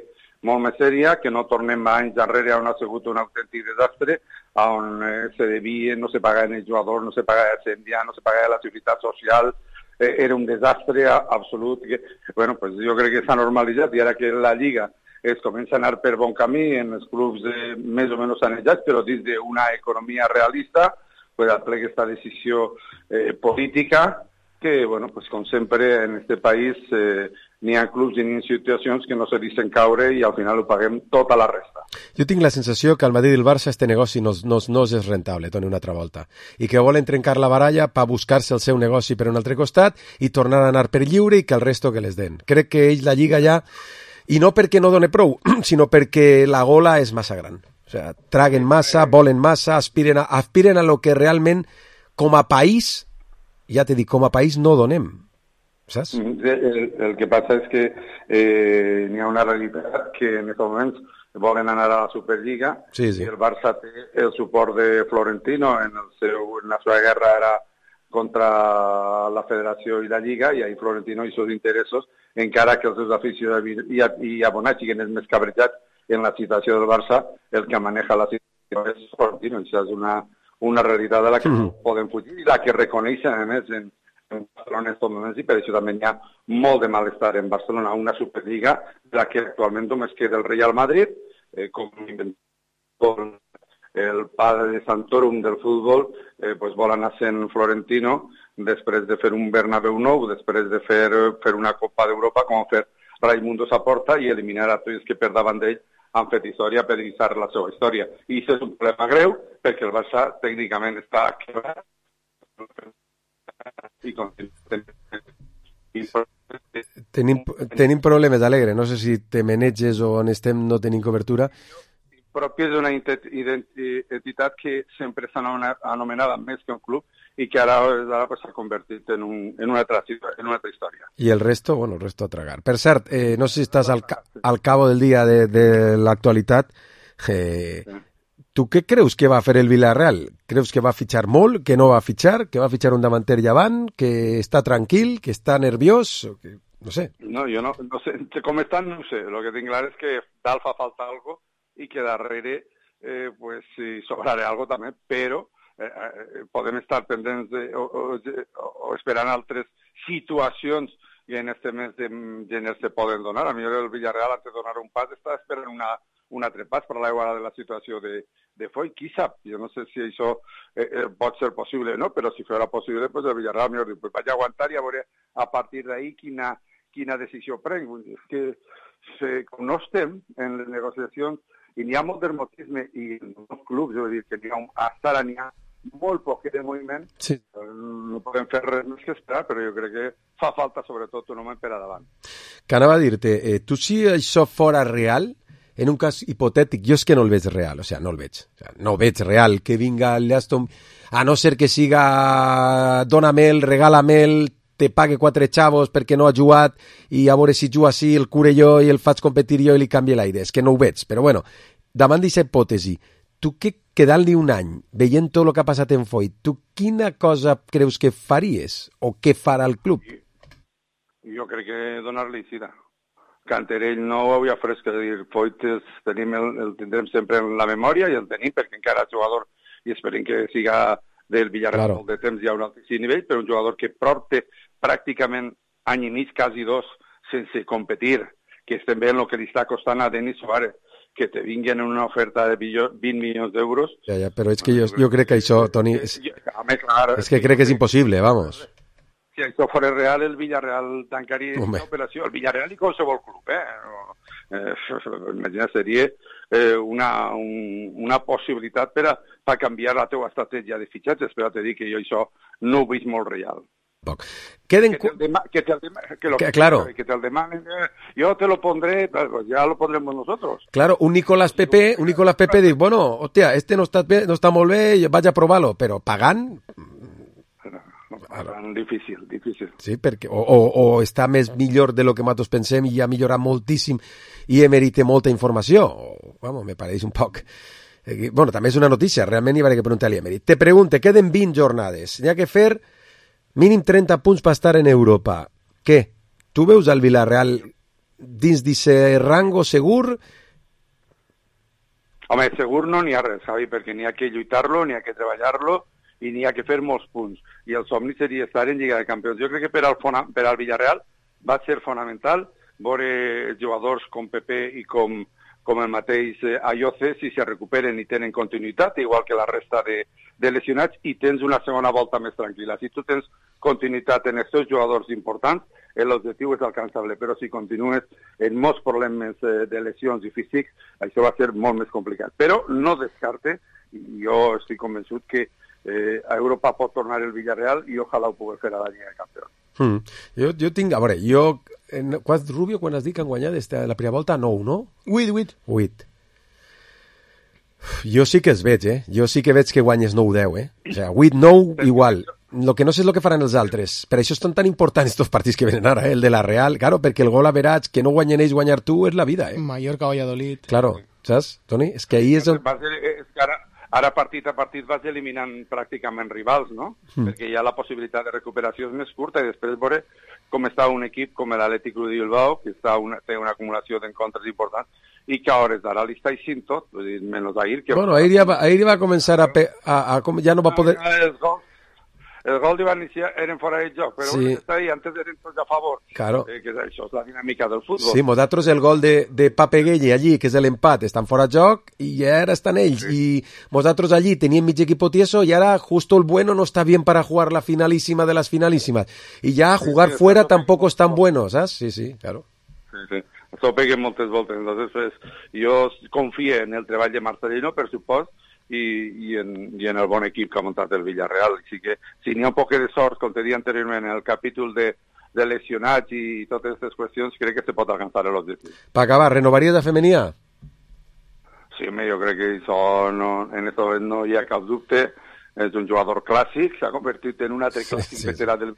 molt més sèria, que no tornem anys darrere on ha sigut un autèntic desastre, on se devia, no se pagava els jugadors, no se pagava Ascendia, no se pagava la seguretat social, era un desastre absolut. Bueno, pues jo crec que s'ha normalitzat, i ara que la Lliga es comença a anar per bon camí en els clubs més o menys sanejats, però dins d'una economia realista, pues aplica esta decisió política que, bueno, pues com sempre en este país n'hi ha clubs i n'hi ha situacions que no se deixen caure i al final ho paguem tota la resta. Jo tinc la sensació que al Madrid i el Barça este negoci no és rentable, Toni, una altra volta, i que volen trencar la baralla per buscar-se el seu negoci per un altre costat i tornar a anar per lliure i que el resto que les den. Crec que ells la Lliga ja, i no perquè no done prou, sinó perquè la gola és massa gran. O sea, traguen massa, volen massa, aspiren a lo que realment, com a país, ja t'he dit, com a país no donem, saps? El que passa és que n'hi ha una realitat que en aquests moments volen anar a la Superliga, sí. I el Barça té el suport de Florentino en la seva guerra era contra la Federació i la Lliga, i ahí Florentino i seus interessos, encara que els seus aficionats i abonats siguin els més cabrejats en la situació del Barça, el que maneja la situació és Florentino. Això és una realitat de la que no poden fugir i la que reconeixen, a més, en Barcelona en aquests moments, i per això també hi ha molt de malestar en Barcelona, una Superliga de la que actualment només queda el Real Madrid, com el padre de Santorum del futbol, pues vol anar sent Florentino després de fer un Bernabéu nou, després de fer una Copa d'Europa, com fer Raimundo Saporta, i eliminar a tots que per davant d'ell han fet història per deixar la seva història. I això és un problema greu, perquè el Barça tècnicament està quebrat i Tenim problemes, Alegre. No sé si te maneges o on estem no tenim cobertura. Propi és una entitat que sempre s'ha anomenada més que un club i que ara s'ha convertit en una altra història. I el resto, bueno, el resto a tragar. Per cert, no sé si estàs al cabo del dia de l'actualitat. Tu què creus que va fer el Villarreal? Creus que va fitxar molt, que no va fitxar, que va fitxar un davanter llevant, que està tranquil, que està nerviós? No sé. No, jo no sé. Com estan, no ho sé. El que tinc clar és que dalt fa falta algo i que darrere pues si sobrarà algo també, però podem estar pendents o esperant altres situacions que en este mes de gener se poden donar. A mi el Villarreal, antes de donar un pas, està esperant un altre pas per l'aigua de la situació de Foy. Qui sap? Jo no sé si això pot ser possible o no, però si fos possible, pues el Villarreal millor diu, pues vaig aguantar i a veure a partir d'ahí quina decisió prenc. És que com no estem en les negociacions i n'hi ha molt dermotisme i en els clubs, jo vull dir que n'hi ha molt poc de moviment, sí. No podem fer res més que esperar, però jo crec que fa falta sobretot un home per a davant. Que anava a dir-te, tu si això fora real, en un cas hipotètic, jo és que no el veig real, no el veig. No veig real que vinga el Aston, a no ser que siga dóna'm-el, regala-me'l, te pague 4 xavos perquè no ha jugat i a veure si juga així, el cure jo i el faig competir jo i li canvie l'aire. És que no ho veig, però bueno, davant d'aquesta hipòtesi, tu que quedant-li un any, veient tot el que ha passat en Foy, tu quina cosa creus que faries o què farà el club? Jo crec que donar-li sida. Canterell no ho havia fresc, és dir, Foy el tindrem sempre en la memòria i el tenim perquè encara és jugador i esperem que siga del Villarreal molt de temps hi ha un altíssim nivell, però un jugador que porta pràcticament any i mig, quasi 2, sense competir, que estem veient el que li està costant a Denis Suárez, que te vinguin en una oferta de 20 milions d'euros. Ja, però és que jo crec que això, Toni, és que crec que és impossible, vamos. Si això fos real, el Villarreal tancaria l'operació. El Villarreal i qualsevol club, Imagina, seria una possibilitat per canviar la teva estratègia de fitxatges, però te dic que jo això no ho veig molt real. Que te el demanen, yo te lo pondré, pues ya lo pondremos nosotros. Claro, un Nicolás Pepe diu, bueno, hostia, este no está molt bé, vaig a provar-lo, però pagant... Difícil. Sí, perquè o està millor de lo que nosaltres pensem i ha millorat moltíssim i Emery té molta informació. Vamos, me pareix un poc... Bueno, també és una notícia, realment hi haurà que preguntar-li a Emery. Te pregunte, queden 20 jornades, n'hi ha que fer mínim 30 punts per estar en Europa. Què? Tu veus el Villarreal dins d'aquest rango segur? Home, segur no n'hi ha res, Javi, perquè n'hi ha que lluitar-lo, n'hi ha que treballar-lo i n'hi ha que fer molts punts. I el somni seria estar en Lliga de Campions. Jo crec que per al Villarreal va ser fonamental veure jugadors com Pepe i com el mateix Ayoce, si se recuperen i tenen continuïtat, igual que la resta de lesionats, i tens una segona volta més tranquil·la. Si tu tens continuïtat en els teus jugadors importants, l'objectiu és alcançable, però si continues en molts problemes de lesions i físics, això va ser molt més complicat. Però no descarte, i jo estic convençut que a Europa pot tornar el Villarreal i ojalà ho pugui fer a la Lliga de Campions. Jo tinc, a veure, Rubio, quan has dit que han guanyat la primera volta, 9, no? 8. Jo sí que els veig, Jo sí que veig que guanyes 9-10, O sigui, 8-9 igual. Lo que no sé és el que faran els altres. Per això són tan importants estos partits que venen ara, el de la Real. Claro, perquè el gol average, que no guanyen ells, guanyar tu, és la vida, Mallorca, Valladolid. Claro, saps, Toni? És que ahir és on... Ara partit a partit vas eliminant pràcticament rivals, no? Perquè ja la possibilitat de recuperació és més curta i després veure com està un equip com l'Atlètic Club de Bilbao, que té una acumulació d'encontres importants i que a hores d'ara li està eixint tot, vull dir, menys ahir. Bueno, ahir va començar ja no va poder... El gol de Valencia eren fora de joc, però sí. Està ahí, antes eren tots a favor. Claro. Que això és la dinàmica del futbol. Sí, nosaltres el gol de Pape Gueye allí, que és l'empat, estan fora de joc i ja ara estan ells. Sí. I nosaltres allí teníem mig equipo tieso y ahora justo el bueno no está bien para jugar la finalísima de las finalísimas. Y ya jugar fuera tampoco es tan bueno, ¿sabes? Sí, claro. Sí. Això peguen moltes voltes. Entonces, jo confio en el treball de Marcelino, per supost, i en el bon equip que ha muntat el Villarreal. Així que si n'hi ha un poc de sort, com te deia anteriorment, en el capítol de lesionats i totes aquestes qüestions, crec que se pot alcançar l'objectiu. Per acabar, renovaries a Femenia? Sí, jo crec que això en aquest moment no hi ha cap dubte. És un jugador clàssic, s'ha convertit en un altre clàssic veterà del...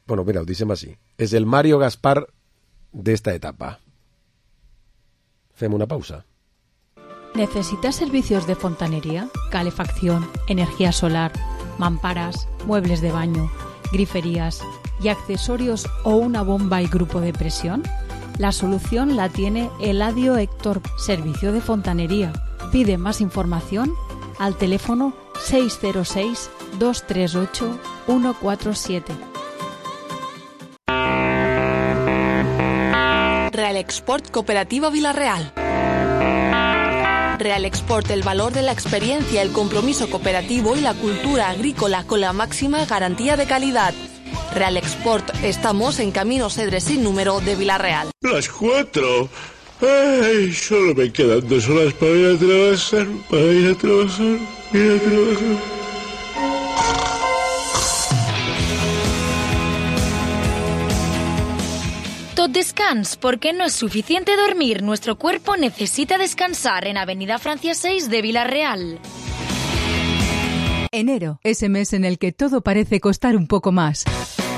Bueno, mira, ho dicem així. És el Mario Gaspar d'esta etapa. Fem una pausa. ¿Necesitas servicios de fontanería, calefacción, energía solar, mamparas, muebles de baño, griferías y accesorios o una bomba y grupo de presión? La solución la tiene Eladio Héctor, servicio de fontanería. Pide más información al teléfono 606-238-147. Real Export Cooperativa Vila-real. Real Export, el valor de la experiencia, el compromiso cooperativo y la cultura agrícola con la máxima garantía de calidad. Real Export, estamos en Camino Cedres sin número de Vila-real. Las 4. Ay, solo me quedan 2 horas para ir a trabajar, Tot descans, porque no es suficiente dormir. Nuestro cuerpo necesita descansar en Avenida Francia 6 de Vila-real. Enero, ese mes en el que todo parece costar un poco más.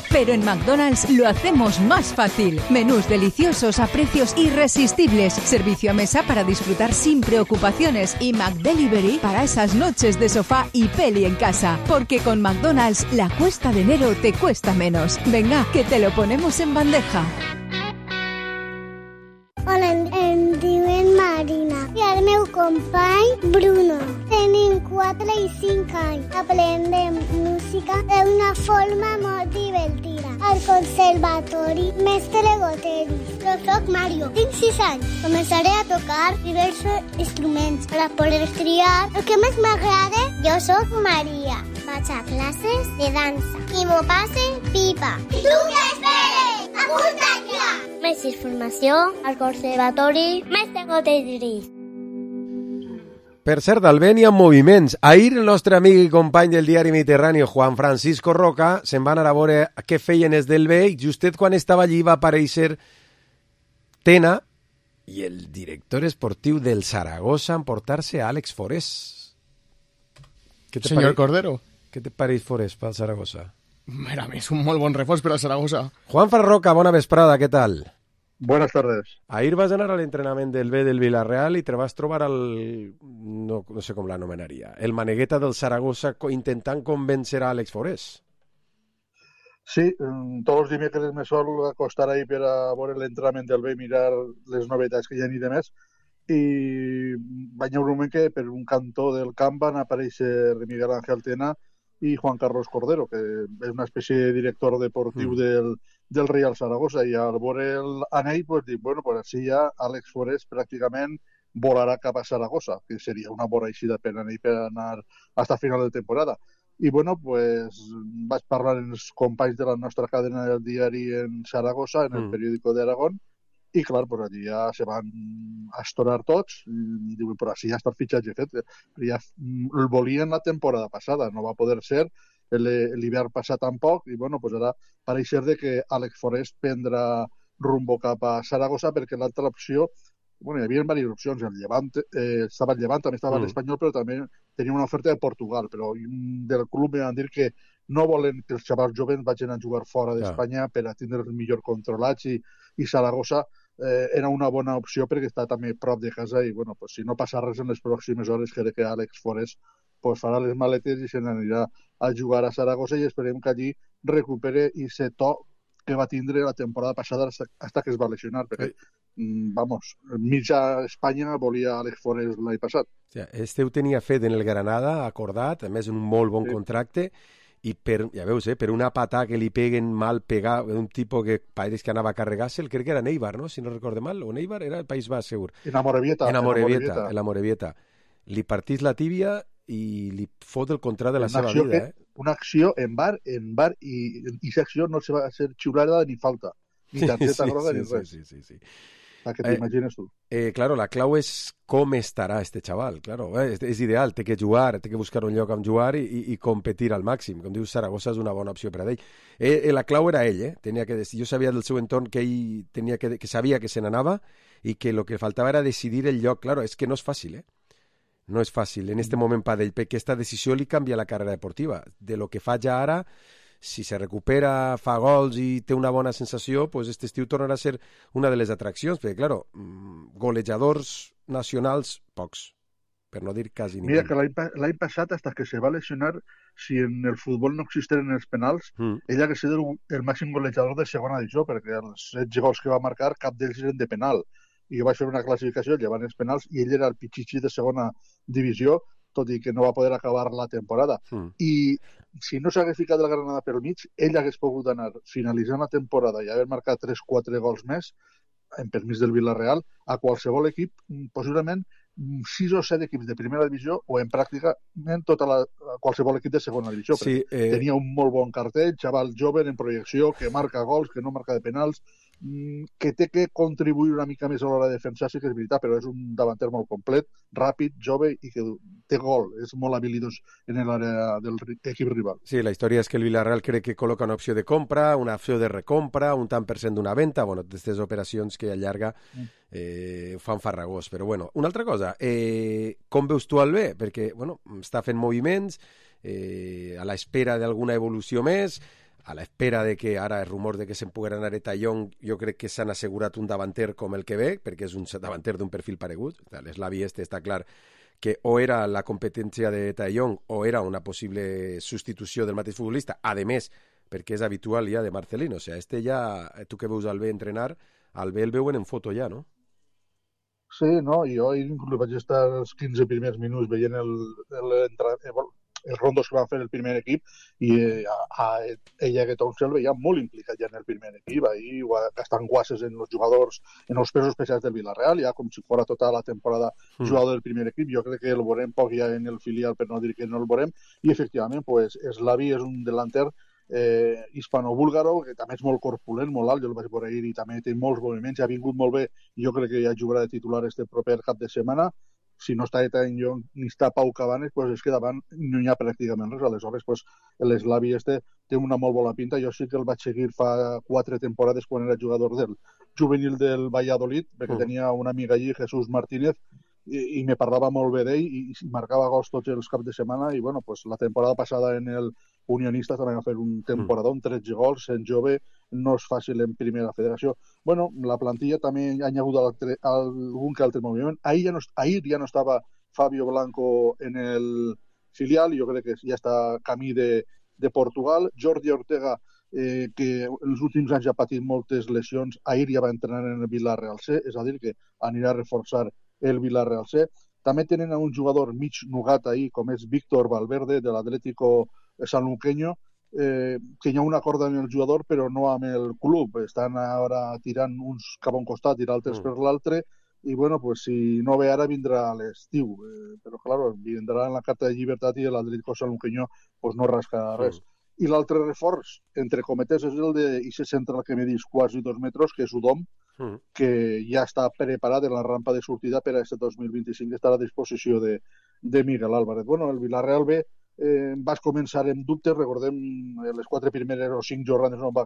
Pero en McDonald's lo hacemos más fácil. Menús deliciosos a precios irresistibles. Servicio a mesa para disfrutar sin preocupaciones. Y McDelivery para esas noches de sofá y peli en casa. Porque con McDonald's la cuesta de enero te cuesta menos. Venga, que te lo ponemos en bandeja. Hola, em diuen Marina i el meu company Bruno. Tenim 4 i 5 anys. Aprendem música d'una forma molt divertida. Al conservatori Mestre Goteri. Jo soc Mario, tinc 6 anys. Començaré a tocar diversos instruments per poder triar el que més m'agrada. Jo soc Maria. Vaig a classes de dansa i m'ho passe pipa. I tu què esperes? Apunta't ja! Més informació al Conservatori Mestre Goteri. Per cert, al vent hi ha moviments. Ahir el nostre amic i company del diari Mediterrani, Juan Francisco Roca, se'n van anar a veure què feien els del B i justet quan estava allí va aparèixer Tena i el director esportiu del Saragossa emportar-se a Àlex Forés. Senyor Cordero. Què te pareix Forés pel Saragossa? Mira, és un molt bon reforç per al Saragossa. Juan Roca, bona vesprada, què tal? Buenas tardes. Ahir vas anar a l'entrenament del B del Villarreal i te vas trobar al... no sé com l'anomenaria, el manegueta del Saragossa intentant convèncer a Àlex Forés. Sí, tots els dimecres me sol acostar ahí per a veure l'entrenament del B i mirar les novetats que hi ha ni de més. I va haver un moment que per un cantó del camp van aparèixer Miguel Ángel Tena i Juan Carlos Cordero, que és una espècie de director deportiu del Real Saragossa, i al veure l'anell pues, dic, bueno, pues així ja Àlex Forés pràcticament volarà cap a Saragossa, que seria una bona eixida per anell per anar fins a final de temporada. I bueno, pues vaig parlar amb els companys de la nostra cadena del diari en Saragossa, en el periòdico d'Aragón, i clar, pues allí ja se van estorar tots i diuen, però així ja està el fitxatge fet. Ja el volien la temporada passada, no va poder ser, l'hivern passat tampoc, i bueno, pues ara pareix ser que Àlex Forés prendrà rumbo cap a Saragossa perquè l'altra opció, bueno, hi havia diverses opcions, el Llevant, estava el Llevant, també estava l'Espanyol, però també tenia una oferta de Portugal, però del club van dir que no volen que els xavals jovens vagin a jugar fora d'Espanya per a tindre el millor controlats i Saragossa era una bona opció perquè està també prop de casa i bueno, pues, si no passa res en les pròximes hores crec que Àlex Forés pues, farà les maletes i se n'anirà a jugar a Saragossa i esperem que allí recupere aquest to que va tindre la temporada passada fins que es va lesionar perquè vamos, mitja Espanya volia Àlex Forés l'any passat. Este ho tenia fet en el Granada, acordat, a més un molt bon contracte i per, ja veus, per una patà que li peguen mal pegar, un tipus que pareix que anava a carregar-se'l, crec que era Neibar, no? Si no recorde mal, o Neibar era el País Basc, segur. En Amorebieta. Li partís la tíbia i li fot el contrat de la seva vida, Una acció en bar i aquesta acció no se va ser xiulada ni falta, ni targeta groga ni res. Sí. Para que t'imagines tu. Claro, la clau és com estarà este xaval, claro. És ideal, té que jugar, té que buscar un lloc on jugar i competir al màxim. Com dius, Saragossa és una bona opció per a ell. La clau era ell, tenia que decidir. Jo sabia del seu entorn que ell tenia que sabia que se n'anava i que el que faltava era decidir el lloc. Claro, és que no és fàcil, No és fàcil en este moment per ell, perquè aquesta decisió li canvia la carrera deportiva. De lo que fa ja ara, si se recupera, fa gols i té una bona sensació, pues este estiu tornarà a ser una de les atraccions, perquè, claro, golejadors nacionals, pocs. per no dir quasi ningú. Mira que l'any passat, hasta que se va lesionar, si en el futbol no existeren els penals, ell hagués sigut el màxim golejador de segona divisió, perquè els 16 gols que va marcar, cap d'ells eren de penal. I jo vaig fer una classificació llevant els penals i ell era el pitxitxi de segona divisió, tot i que no va poder acabar la temporada. I si no s'hagués ficat la Granada pel mig, ell hagués pogut anar finalitzant la temporada i haver marcat 3-4 gols més, en permís del Villarreal, a qualsevol equip, possiblement 6 o 7 equips de primera divisió o en pràcticament qualsevol equip de segona divisió. Sí, tenia un molt bon cartell, xaval jove en projecció, que marca gols, que no marca de penals, que té que contribuir una mica més a l'hora de defensar, sí que és veritat, però és un davanter molt complet, ràpid, jove i que té gol, és molt habilidós en l'àrea del equip rival. Sí, la història és que el Villarreal crec que col·loca una opció de compra, una opció de recompra, un tant per cent d'una venda, bueno, d'aquestes operacions que allarga fan farragós, però bueno. Una altra cosa, com veus tu el bé? Perquè, bueno, està fent moviments a l'espera d'alguna evolució més, a l'espera de que ara el rumor de que se'n pugui anar a Tallón, jo crec que s'han assegurat un davanter com el que ve, perquè és un davanter d'un perfil paregut. L'eslavi està clar que o era la competència de Tallón o era una possible substitució del mateix futbolista, a més, perquè és habitual ja de Marcelino. O sigui, ja, tu que veus al bé entrenar, al bé el veuen en foto ja, no? Sí, no, jo inclús vaig estar els 15 primers minuts veient els rondos que van fer el primer equip i ella que tot el veia molt implicat ja en el primer equip, ahí gastant guasses en els jugadors, en els pesos especials del Villarreal, ja com si fora tota la temporada jugador del primer equip. Jo crec que el veurem poc ja en el filial, per no dir que no el veurem, i efectivament, pues, Slavi és un delanter hispano-búlgaro, que també és molt corpulent, molt alt, jo el vaig veure ahir i també té molts moviments, ha vingut molt bé, jo crec que ja jugarà de titular este proper cap de setmana. Si no està Tallón ni està Pau Cabanes, pues és que davant no hi ha pràcticament res. Aleshores, pues, l'Slavi té una molt bona pinta. Jo sí que el vaig seguir fa 4 temporades quan era jugador del juvenil del Valladolid, perquè tenia una amiga allí, Jesús Martínez, i me parlava molt bé d'ell i marcava gols tots els caps de setmana. I bueno, pues, la temporada passada en el Unionistas també va fer un temporadón, 13 gols, en jove, no és fàcil en primera federació. Bueno, la plantilla també ha hagut algun que altre moviment. Ahir ja no estava Fabio Blanco en el filial, jo crec que ja està camí de Portugal. Jordi Ortega, que en els últims anys ha patit moltes lesions, ahir ja va entrenar en el Villarreal C, és a dir, que anirà a reforçar el Villarreal C. També tenen un jugador mig nugat ahir, com és Víctor Valverde, de l'Atlético Sanluqueño, que hi ha un acord amb el jugador però no amb el club. Estan ara tirant uns cap a un costat i l'altres per l'altre, i bueno, pues si no ve ara vindrà a l'estiu, però claro, vindrà en la carta de llibertat i l'Atlético Sanluqueño pues no rasca res. I l'altre reforç, entre cometes, és el d'Ixe central que medís quasi 2 metres, que és Udom, que ja està preparat en la rampa de sortida per a aquest 2025, estarà a disposició de Miguel Álvarez. Bueno, el Villarreal B vas començar amb dubtes, recordem les 4 primeres o 5 jornades no va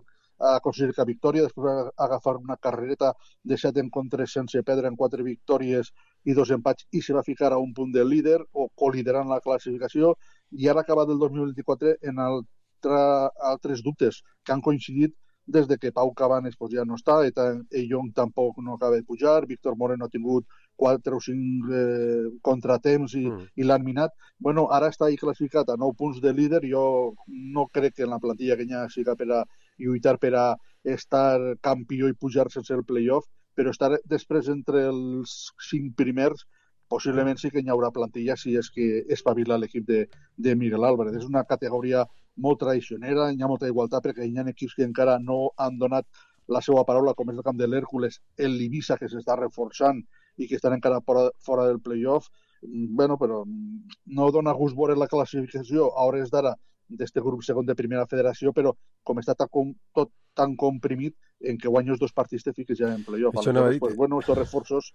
aconseguir cap victòria, després va agafar una carrereta de 7 encontres sense perdre en 4 victòries i 2 empats i se va ficar a un punt de líder o coliderant la classificació, i ara acabat el 2024 en altres dubtes que han coincidit des de que Pau Cabanes pues, ja no està, Young tampoc no acaba de pujar, Víctor Moreno ha tingut 4 o 5 contratemps i l'han minat. Bueno, ara està classificat a 9 punts de líder. Jo no crec que en la plantilla que hi ha siga per a lluitar per a estar campió i pujar sense el playoff, però estar després entre els 5 primers possiblement sí que hi haurà plantilla si és que espavila l'equip de Miguel Álvarez. És una categoria molt traicionera, hi ha molta igualtat perquè hi ha equips que encara no han donat la seva paraula, com és el camp de l'Hèrcules, l'Ibissa, que s'està reforçant i que estan encara fora del playoff. Bueno, però no dona gust veure la classificació a hores d'ara d'este grup segon de primera federació, però com està tot tan comprimit en que guanyes 2 partits te fiques ja en playoff. Aleshores, pues, bueno, estos reforços...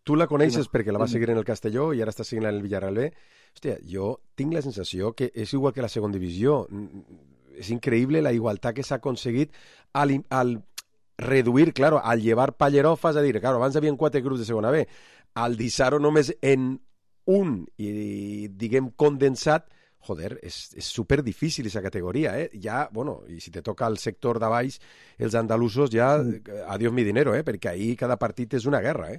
Tu la coneixes perquè la vas seguir en el Castelló i ara estàs seguint en el Villarreal B. Hòstia, jo tinc la sensació que és igual que la segona divisió. És increïble la igualtat que s'ha aconseguit al reduir, claro, al llevar pallerofas, a dir, claro, abans hi havia 4 grups de segona B, al deixar-ho només en un i, diguem, condensat, joder, és super difícil aquesta categoria, Ja, bueno, i si te toca el sector de baix, els andalusos ja, adiós mi dinero, perquè ahí cada partit és una guerra,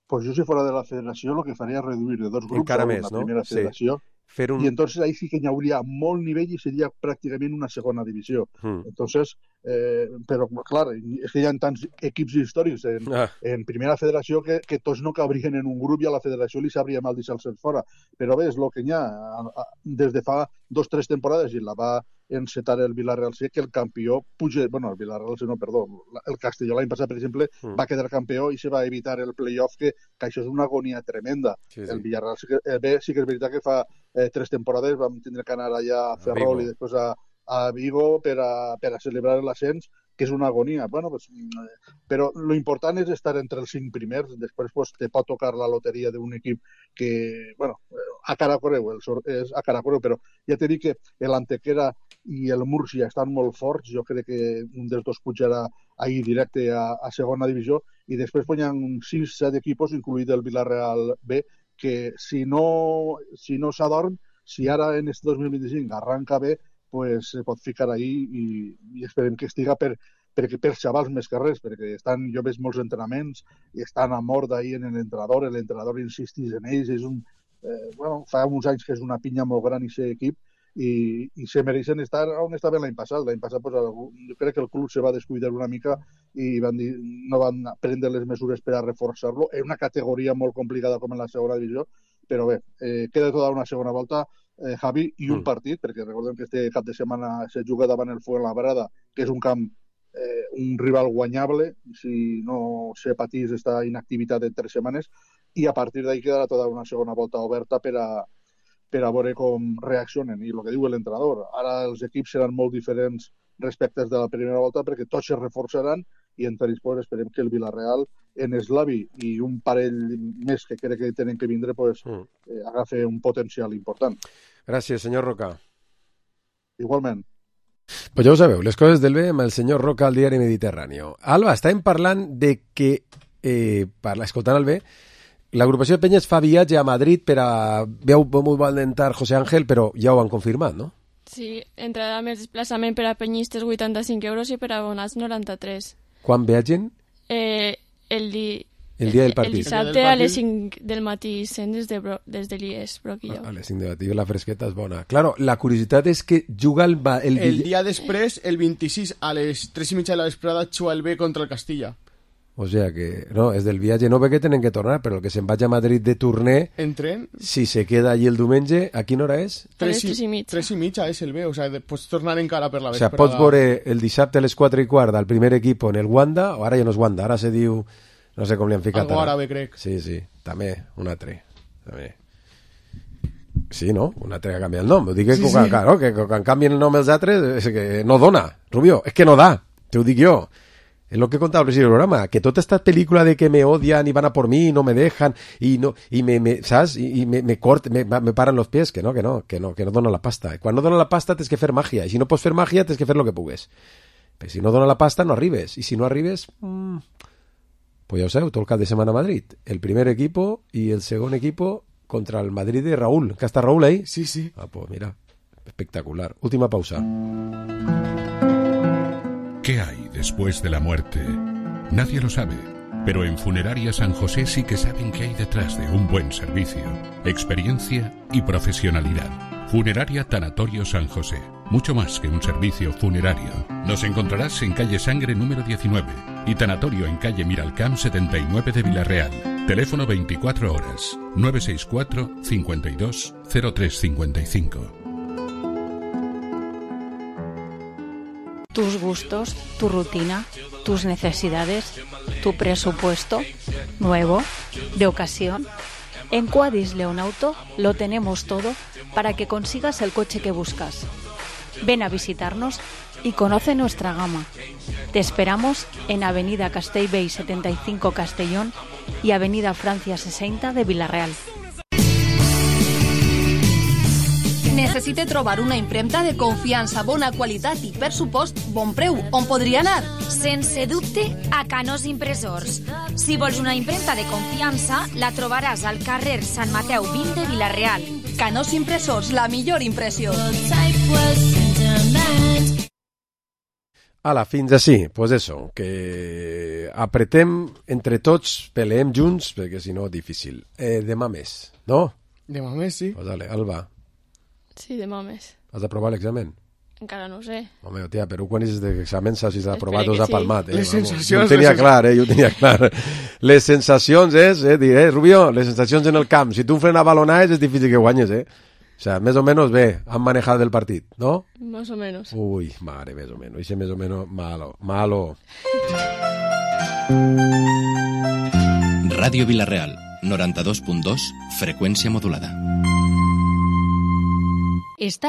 pues yo si fuera de la federació el que faria és reduir de 2 grups encara a una més, no? primera federació. Sí. Y entonces ahí sí que hi hauria molt nivell i seria pràcticament una segona divisió. Entonces, però clar, és que hi ha tants equips històrics en primera federació que tots no cabrien en un grup i a la federació li sabria mal deixar-se'ls fora. Però bé, és el que hi ha. Des de fa 2 o 3 temporades i la va encetar el Villarreal C, que el campió puja... Bueno, el Villarreal C no, perdó. El Castelló l'any passat, per exemple, va quedar campió i se va evitar el playoff, que això és una agonia tremenda. Sí. El Villarreal B sí que és veritat que fa 3 temporades vam tindre que anar allà a Ferrol i després a Vigo per a celebrar l'ascens, que és una agonia. Bueno, pues, però lo important és estar entre els 5 primers, després pues, te pot tocar la loteria d'un equip que, bueno, a cara correu, és a cara correu, però ja t'he dit que l'Antequera i el Múrcia estan molt forts, jo crec que un dels dos pujarà ahir directe a segona divisió, i després hi ha 6-7 equipos, incluït el Villarreal B, que si no s'adorm, si ara en este 2025 arranca bé, pues se pot ficar ahí i esperem que estiga per xavals més que res, perquè jo veig molts entrenaments i estan a mort ahí en l'entrenador insistís en ells, és fa uns anys que és una pinya molt gran i ser equip, i se mereixen estar on estaven l'any passat. L'any passat pues, jo crec que el club se va descuidar una mica i no van prendre les mesures per a reforçar-lo. És una categoria molt complicada com en la segona divisió, però bé, queda tota una segona volta, Javi, i un partit, perquè recordem que este cap de setmana se juga davant el Fuenlabrada, que és un camp, un rival guanyable, si no se patís esta inactivitat de 3 setmanes, i a partir d'ahí quedarà tota una segona volta oberta per a veure com reaccionen. I el que diu l'entrenador, ara els equips seran molt diferents respecte de la primera volta perquè tots es reforçaran i entre ells pues, esperem que el Villarreal en eslavi i un parell més que crec que tenen que vindre pues, agafi un potencial important. Gràcies, senyor Roca. Igualment. Pues ja ho sabeu, les coses del bé amb el senyor Roca al diari Mediterráneo. Alba, estàvem parlant de que, escoltant el bé, l'agrupació de Penyes fa viatge a Madrid per a... Veu molt valentar José Ángel, però ja ho han confirmat, no? Sí, entrada més desplaçament per a penyistes 85 euros i per a abonats 93. Quan viatgen? El dia del partit. El dissabte a les 5 del matí sent des de l'IES, Broquillo. A les 5 del matí, la fresqueta és bona. Claro, la curiositat és que juga el dia després, el 26, a les 3:30 de la vesprada, juga el B contra el Castilla. O sea que, no, és del viatge, no perquè tenen que tornar, però el que se'n vaig a Madrid de torner, si se queda allí el diumenge, a quina hora és? 3:30. 3:30 és el B, o sea, pots tornar encara per la O vesprada. sea, pots veure el dissabte a les 4:15 al primer equip en el Wanda, o ara ja no és Wanda, ara se diu, no sé com li han ficat. Algo àrabe, crec. Sí, també, un altre. També. Sí, no? Un altre que canvia el nom. Ho dic que, claro, que quan canvien el nom els altres, és que no dona, Rubio, és que no da, te ho dic jo. Es lo que contaba al principio del programa, que toda esta película de que me odian y van a por mí y no me dejan y ¿sabes? Y me paran los pies, que no dona la pasta. Quan no dona la pasta tens que fer màgia, i si no pots fer màgia tens que fer lo que pugues. Però si no dona la pasta no arribes, i si no arribes pues ja ho sabeu, tot el cap de setmana a Madrid, el primer equipo y el segon equipo contra el Madrid de Raúl, que està Raúl ahí. Sí. Ah, pues mira, espectacular. Última pausa. ¿Qué hay después de la muerte? Nadie lo sabe, pero en Funeraria San José sí que saben qué hay detrás de un buen servicio, experiencia y profesionalidad. Funeraria Tanatorio San José, mucho más que un servicio funerario. Nos encontrarás en calle Sangre número 19 y Tanatorio en calle Miralcamp 79 de Villarreal. Teléfono 24 horas, 964 52 0355. Tus gustos, tu rutina, tus necesidades, tu presupuesto, nuevo, de ocasión. En Quadis León Auto lo tenemos todo para que consigas el coche que buscas. Ven a visitarnos y conoce nuestra gama. Te esperamos en Avenida Castellbell 75 Castellón y Avenida Francia 60 de Villarreal. Necessite trobar una impremta de confiança, bona qualitat i, per supost, bon preu. On podria anar? Sense dubte, a Canós Impressors. Si vols una impremta de confiança, la trobaràs al carrer Sant Mateu 20 de Vila-real. Canós Impressors, la millor impressió. Ala, fins així. Pues eso, que apretem entre tots, peleem junts, perquè si no, difícil. Demà més, no? Demà més, sí. Pues dale, Alba, Sí, demà més. has d'aprovar l'examen? Encara no ho sé. Home, tia, però quan és d'examen saps si s'ha aprovat o que s'ha sí. palmat. Les Vamos. sensacions, Jo ho tenia les clar, jo ho tenia clar. Les sensacions és, Rubio, les sensacions en el camp. Si tu en frena balonades és difícil que guanyes, O sea, més o menys bé, han manejat el partit, ¿no? Más o menos. Uy, madre, més o menos. Dice més o menos malo. Ràdio Vilareal, 92.2, freqüència modulada. Estàs